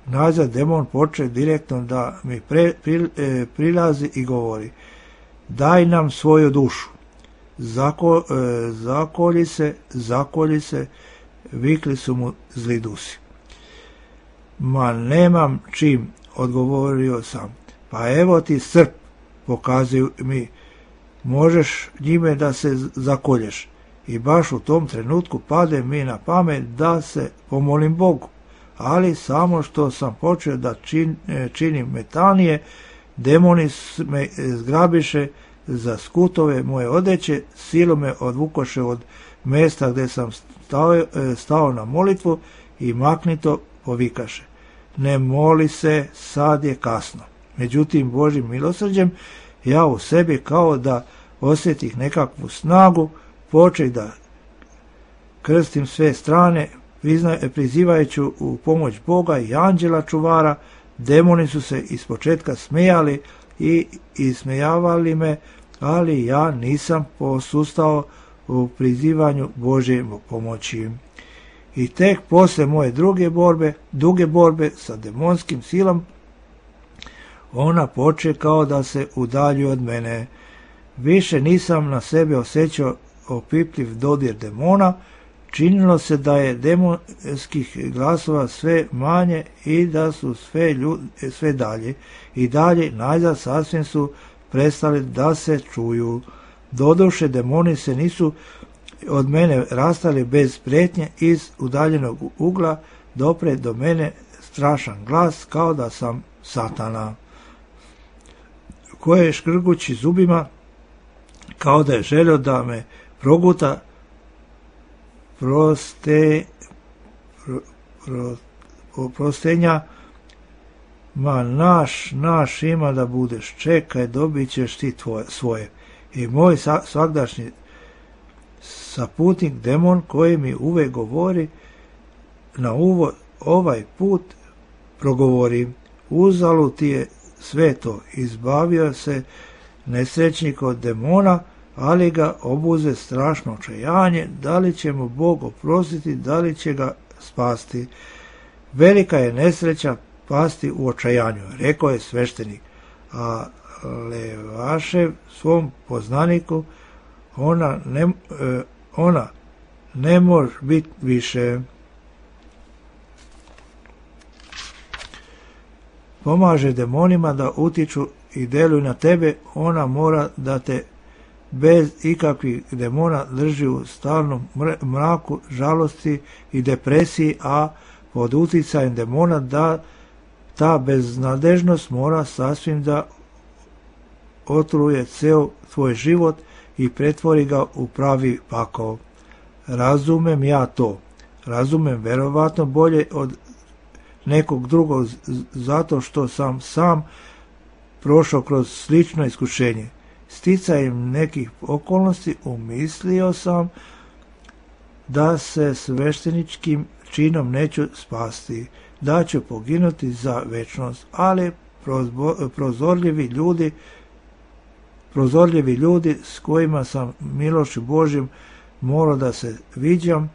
Nazad demon poče direktno da mi pre, pri, e, prilazi i govori: daj nam svoju dušu. Zako, e, zakolji se, zakolji se, vikli su mu zli dusi. Ma nemam čim, odgovorio sam. Pa evo ti srp, pokazuju mi, možeš njime da se zakolješ. I baš u tom trenutku pade mi na pamet da se pomolim Bogu. Ali samo što sam počeo da čin, činim metanije, demoni me zgrabiše za skutove moje odeće, silom me odvukoše od mjesta gdje sam stao, stao na molitvu i maknito povikaše: ne moli se, sad je kasno. Međutim, Božjim milosrđem, ja u sebi kao da osjetih nekakvu snagu, počeh da krstim sve strane, prizivajući u pomoć Boga i anđela čuvara. Demoni su se ispočetka smejali i ismejavali me, ali ja nisam posustao u prizivanju Božje pomoći. I tek posle moje druge borbe, duge borbe sa demonskim silom, ona poče kao da se udalji od mene. Više nisam na sebe osjećao opipljiv dodir demona. Činilo se da je demonskih glasova sve manje i da su sve, ljud, sve dalje i dalje, najzad sasvim su prestali da se čuju. Doduše, demoni se nisu od mene rastali bez prijetnje iz udaljenog ugla, dopre do mene strašan glas kao da sam satana, koje škrgući zubima kao da je želio da me proguta proste, pro, pro, prostenja. Ma naš, naš ima da budeš, čekaj, dobit ćeš ti tvoje, svoje. I moj sa, svagdašnji saputnik, demon, koji mi uvek govori na uvo, ovaj put progovori, uzalu ti je sve to, izbavio se nesrećnik od demona, ali ga obuze strašno očajanje, da li će mu Bog oprostiti, da li će ga spasti. Velika je nesreća pasti u očajanju, rekao je sveštenik, a Levašev svom poznaniku, ona ne, e, ona ne može biti više. Pomaže demonima da utiču i deluju na tebe, ona mora da te bez ikakvih demona drži u stalnom mraku, žalosti i depresiji, a pod uticajem demona da ta beznadežnost mora sasvim da otruje ceo tvoj život i pretvori ga u pravi pakao. Razumem ja to. Razumem verovatno bolje od nekog drugog, zato što sam sam prošao kroz slično iskušenje. Sticajem nekih okolnosti umislio sam da se svešteničkim činom neću spasti, da ću poginuti za večnost, ali prozorljivi ljudi prozorljivi ljudi s kojima sam milošću Božjim morao da se viđam,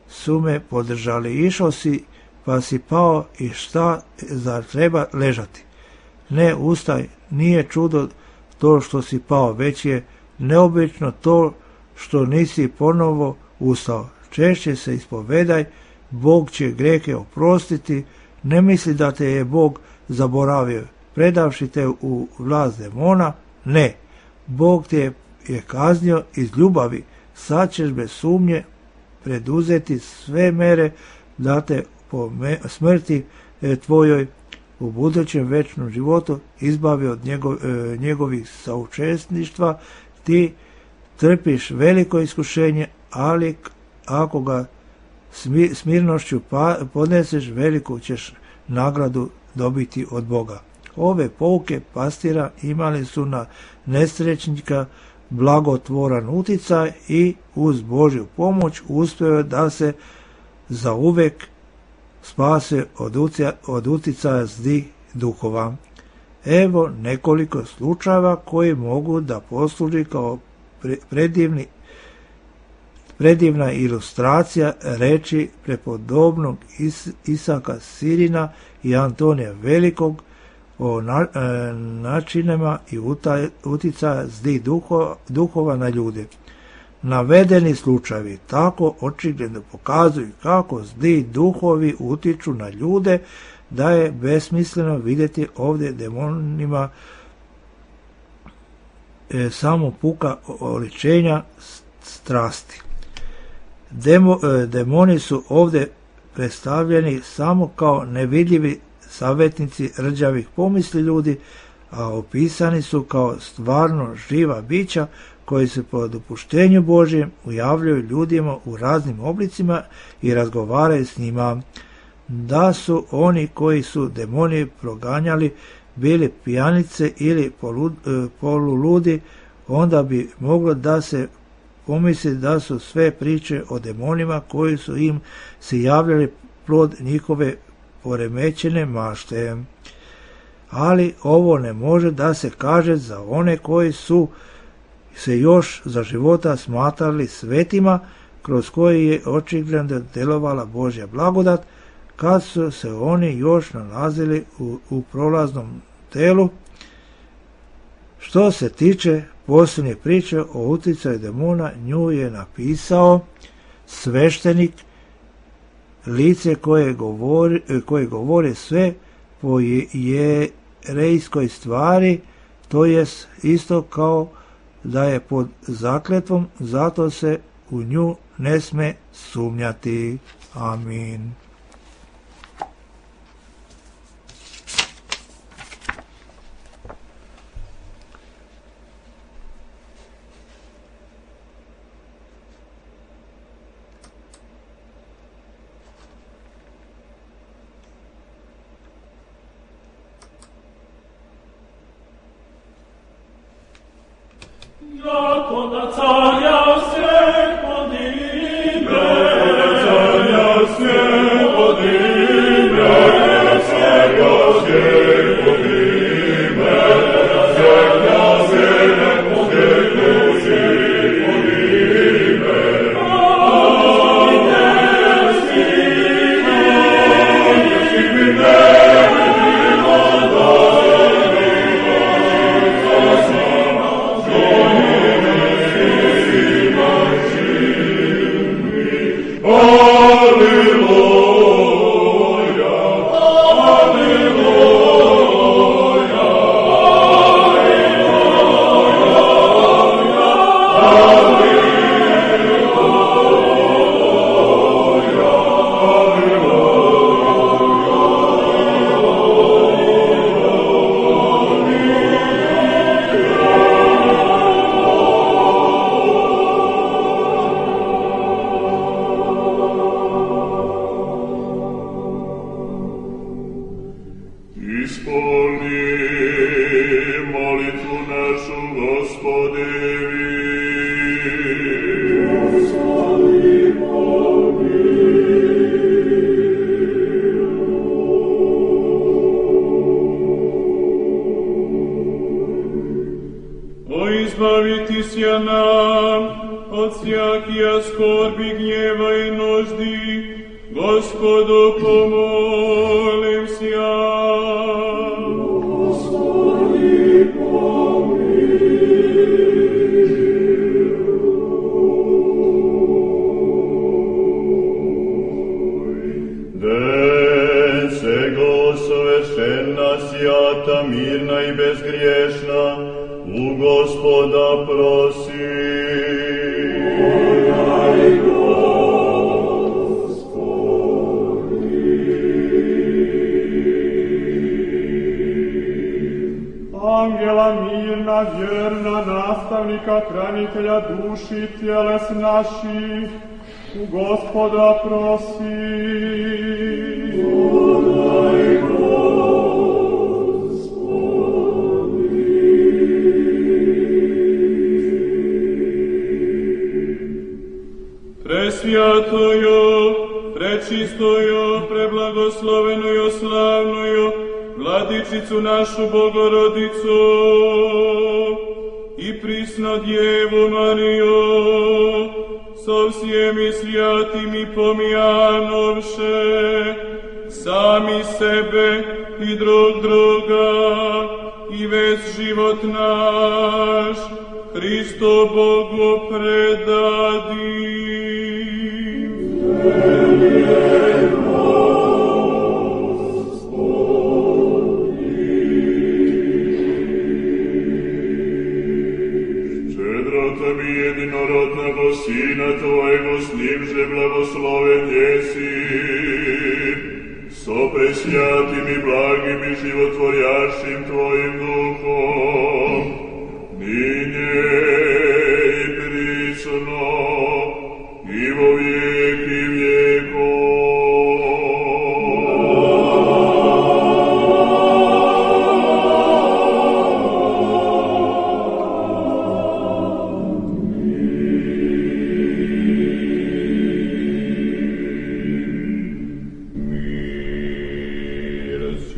su me podržali. Išao si, pa si pao i šta, zar treba ležati? Ne, ustaj, nije čudo to što si pao, već je neobično to što nisi ponovo ustao. Češće se ispovedaj, Bog će grehe oprostiti, ne misli da te je Bog zaboravio, predavši te u vlast demona, ne, Bog te je kaznio iz ljubavi, sad ćeš bez sumnje preduzeti sve mere da te po smrti tvojoj u budućem večnom životu izbavi od njegov, njegovih saučesništva. Ti trpiš veliko iskušenje, ali ako ga smirnošću podneseš, veliku ćeš nagradu dobiti od Boga. Ove pouke pastira imali su na nesrećnika blagotvoran uticaj i uz Božju pomoć uspeo da se zauvek spase od, ucija, od uticaja zlih duhova. Evo nekoliko slučajeva koji mogu da posluži kao predivni, predivna ilustracija reči prepodobnog Is, Isaka Sirina i Antonija Velikog o na, e, načinima i utaj, uticaja zlih duhova, duhova na ljude. Navedeni slučajevi tako očigledno pokazuju kako zli duhovi utiču na ljude, da je besmisleno vidjeti ovdje demonima e, samo puka oličenja strasti. Demo, e, demoni su ovdje predstavljeni samo kao nevidljivi savjetnici rđavih pomisli ljudi, a opisani su kao stvarno živa bića koji se po dopuštenju Božjem ujavljaju ljudima u raznim oblicima i razgovaraju s njima. Da su oni koji su demoni proganjali bili pijanice ili polud, poluludi, onda bi moglo da se pomisli da su sve priče o demonima koji su im se javljali plod njihove poremećene mašte. Ali ovo ne može da se kaže za one koji su se još za života smatrali svetima, kroz koji je očigledno delovala Božja blagodat, kad su se oni još nalazili u, u prolaznom telu. Što se tiče posljednje priče o uticaju demona, nju je napisao sveštenik, lice koje govori, koje govori sve po jerejskoj stvari, to jest isto kao da je pod zakletvom, zato se u nju ne sme sumnjati. Amin.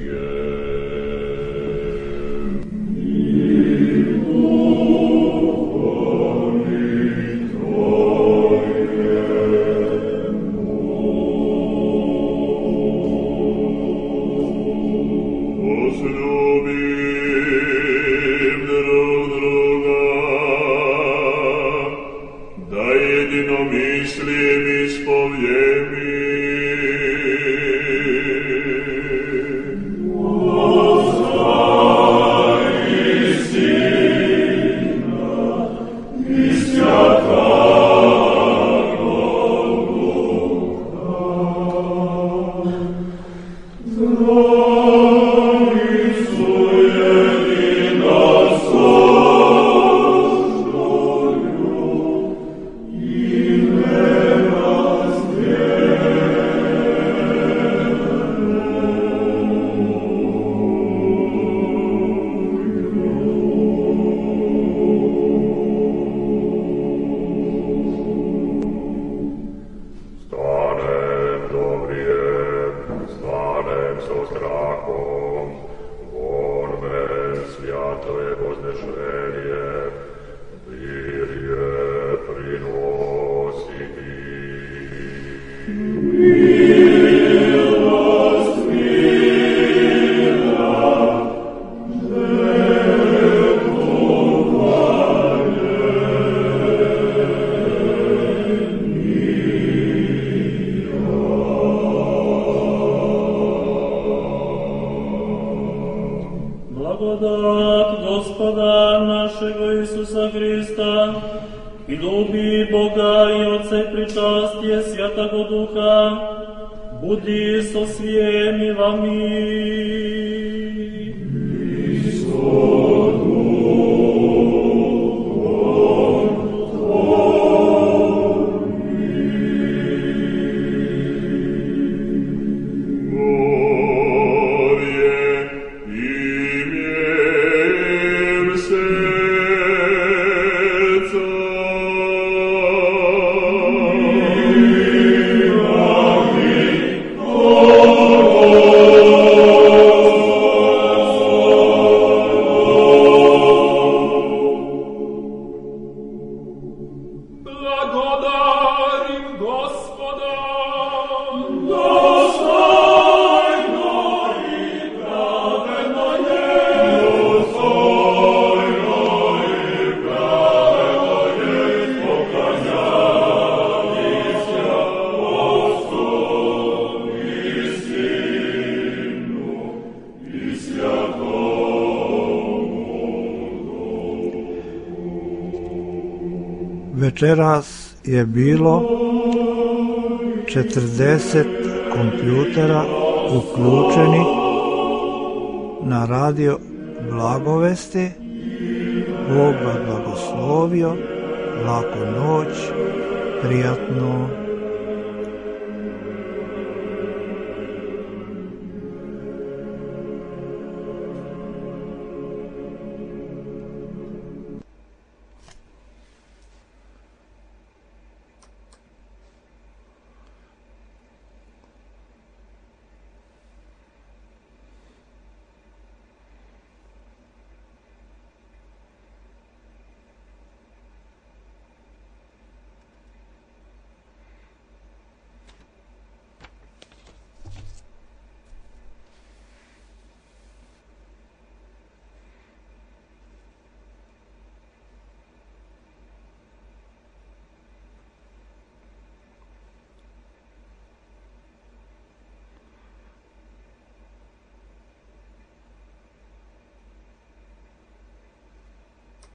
Yeah. Isusa Hrista i ljubi Boga i Otce pričastije Svjatoga Duha, budi so svijemi vami. Večeras je bilo četrdeset kompjutera uključenih na radio Blagovesti. Bog vas blagoslovio, laku noć, prijatno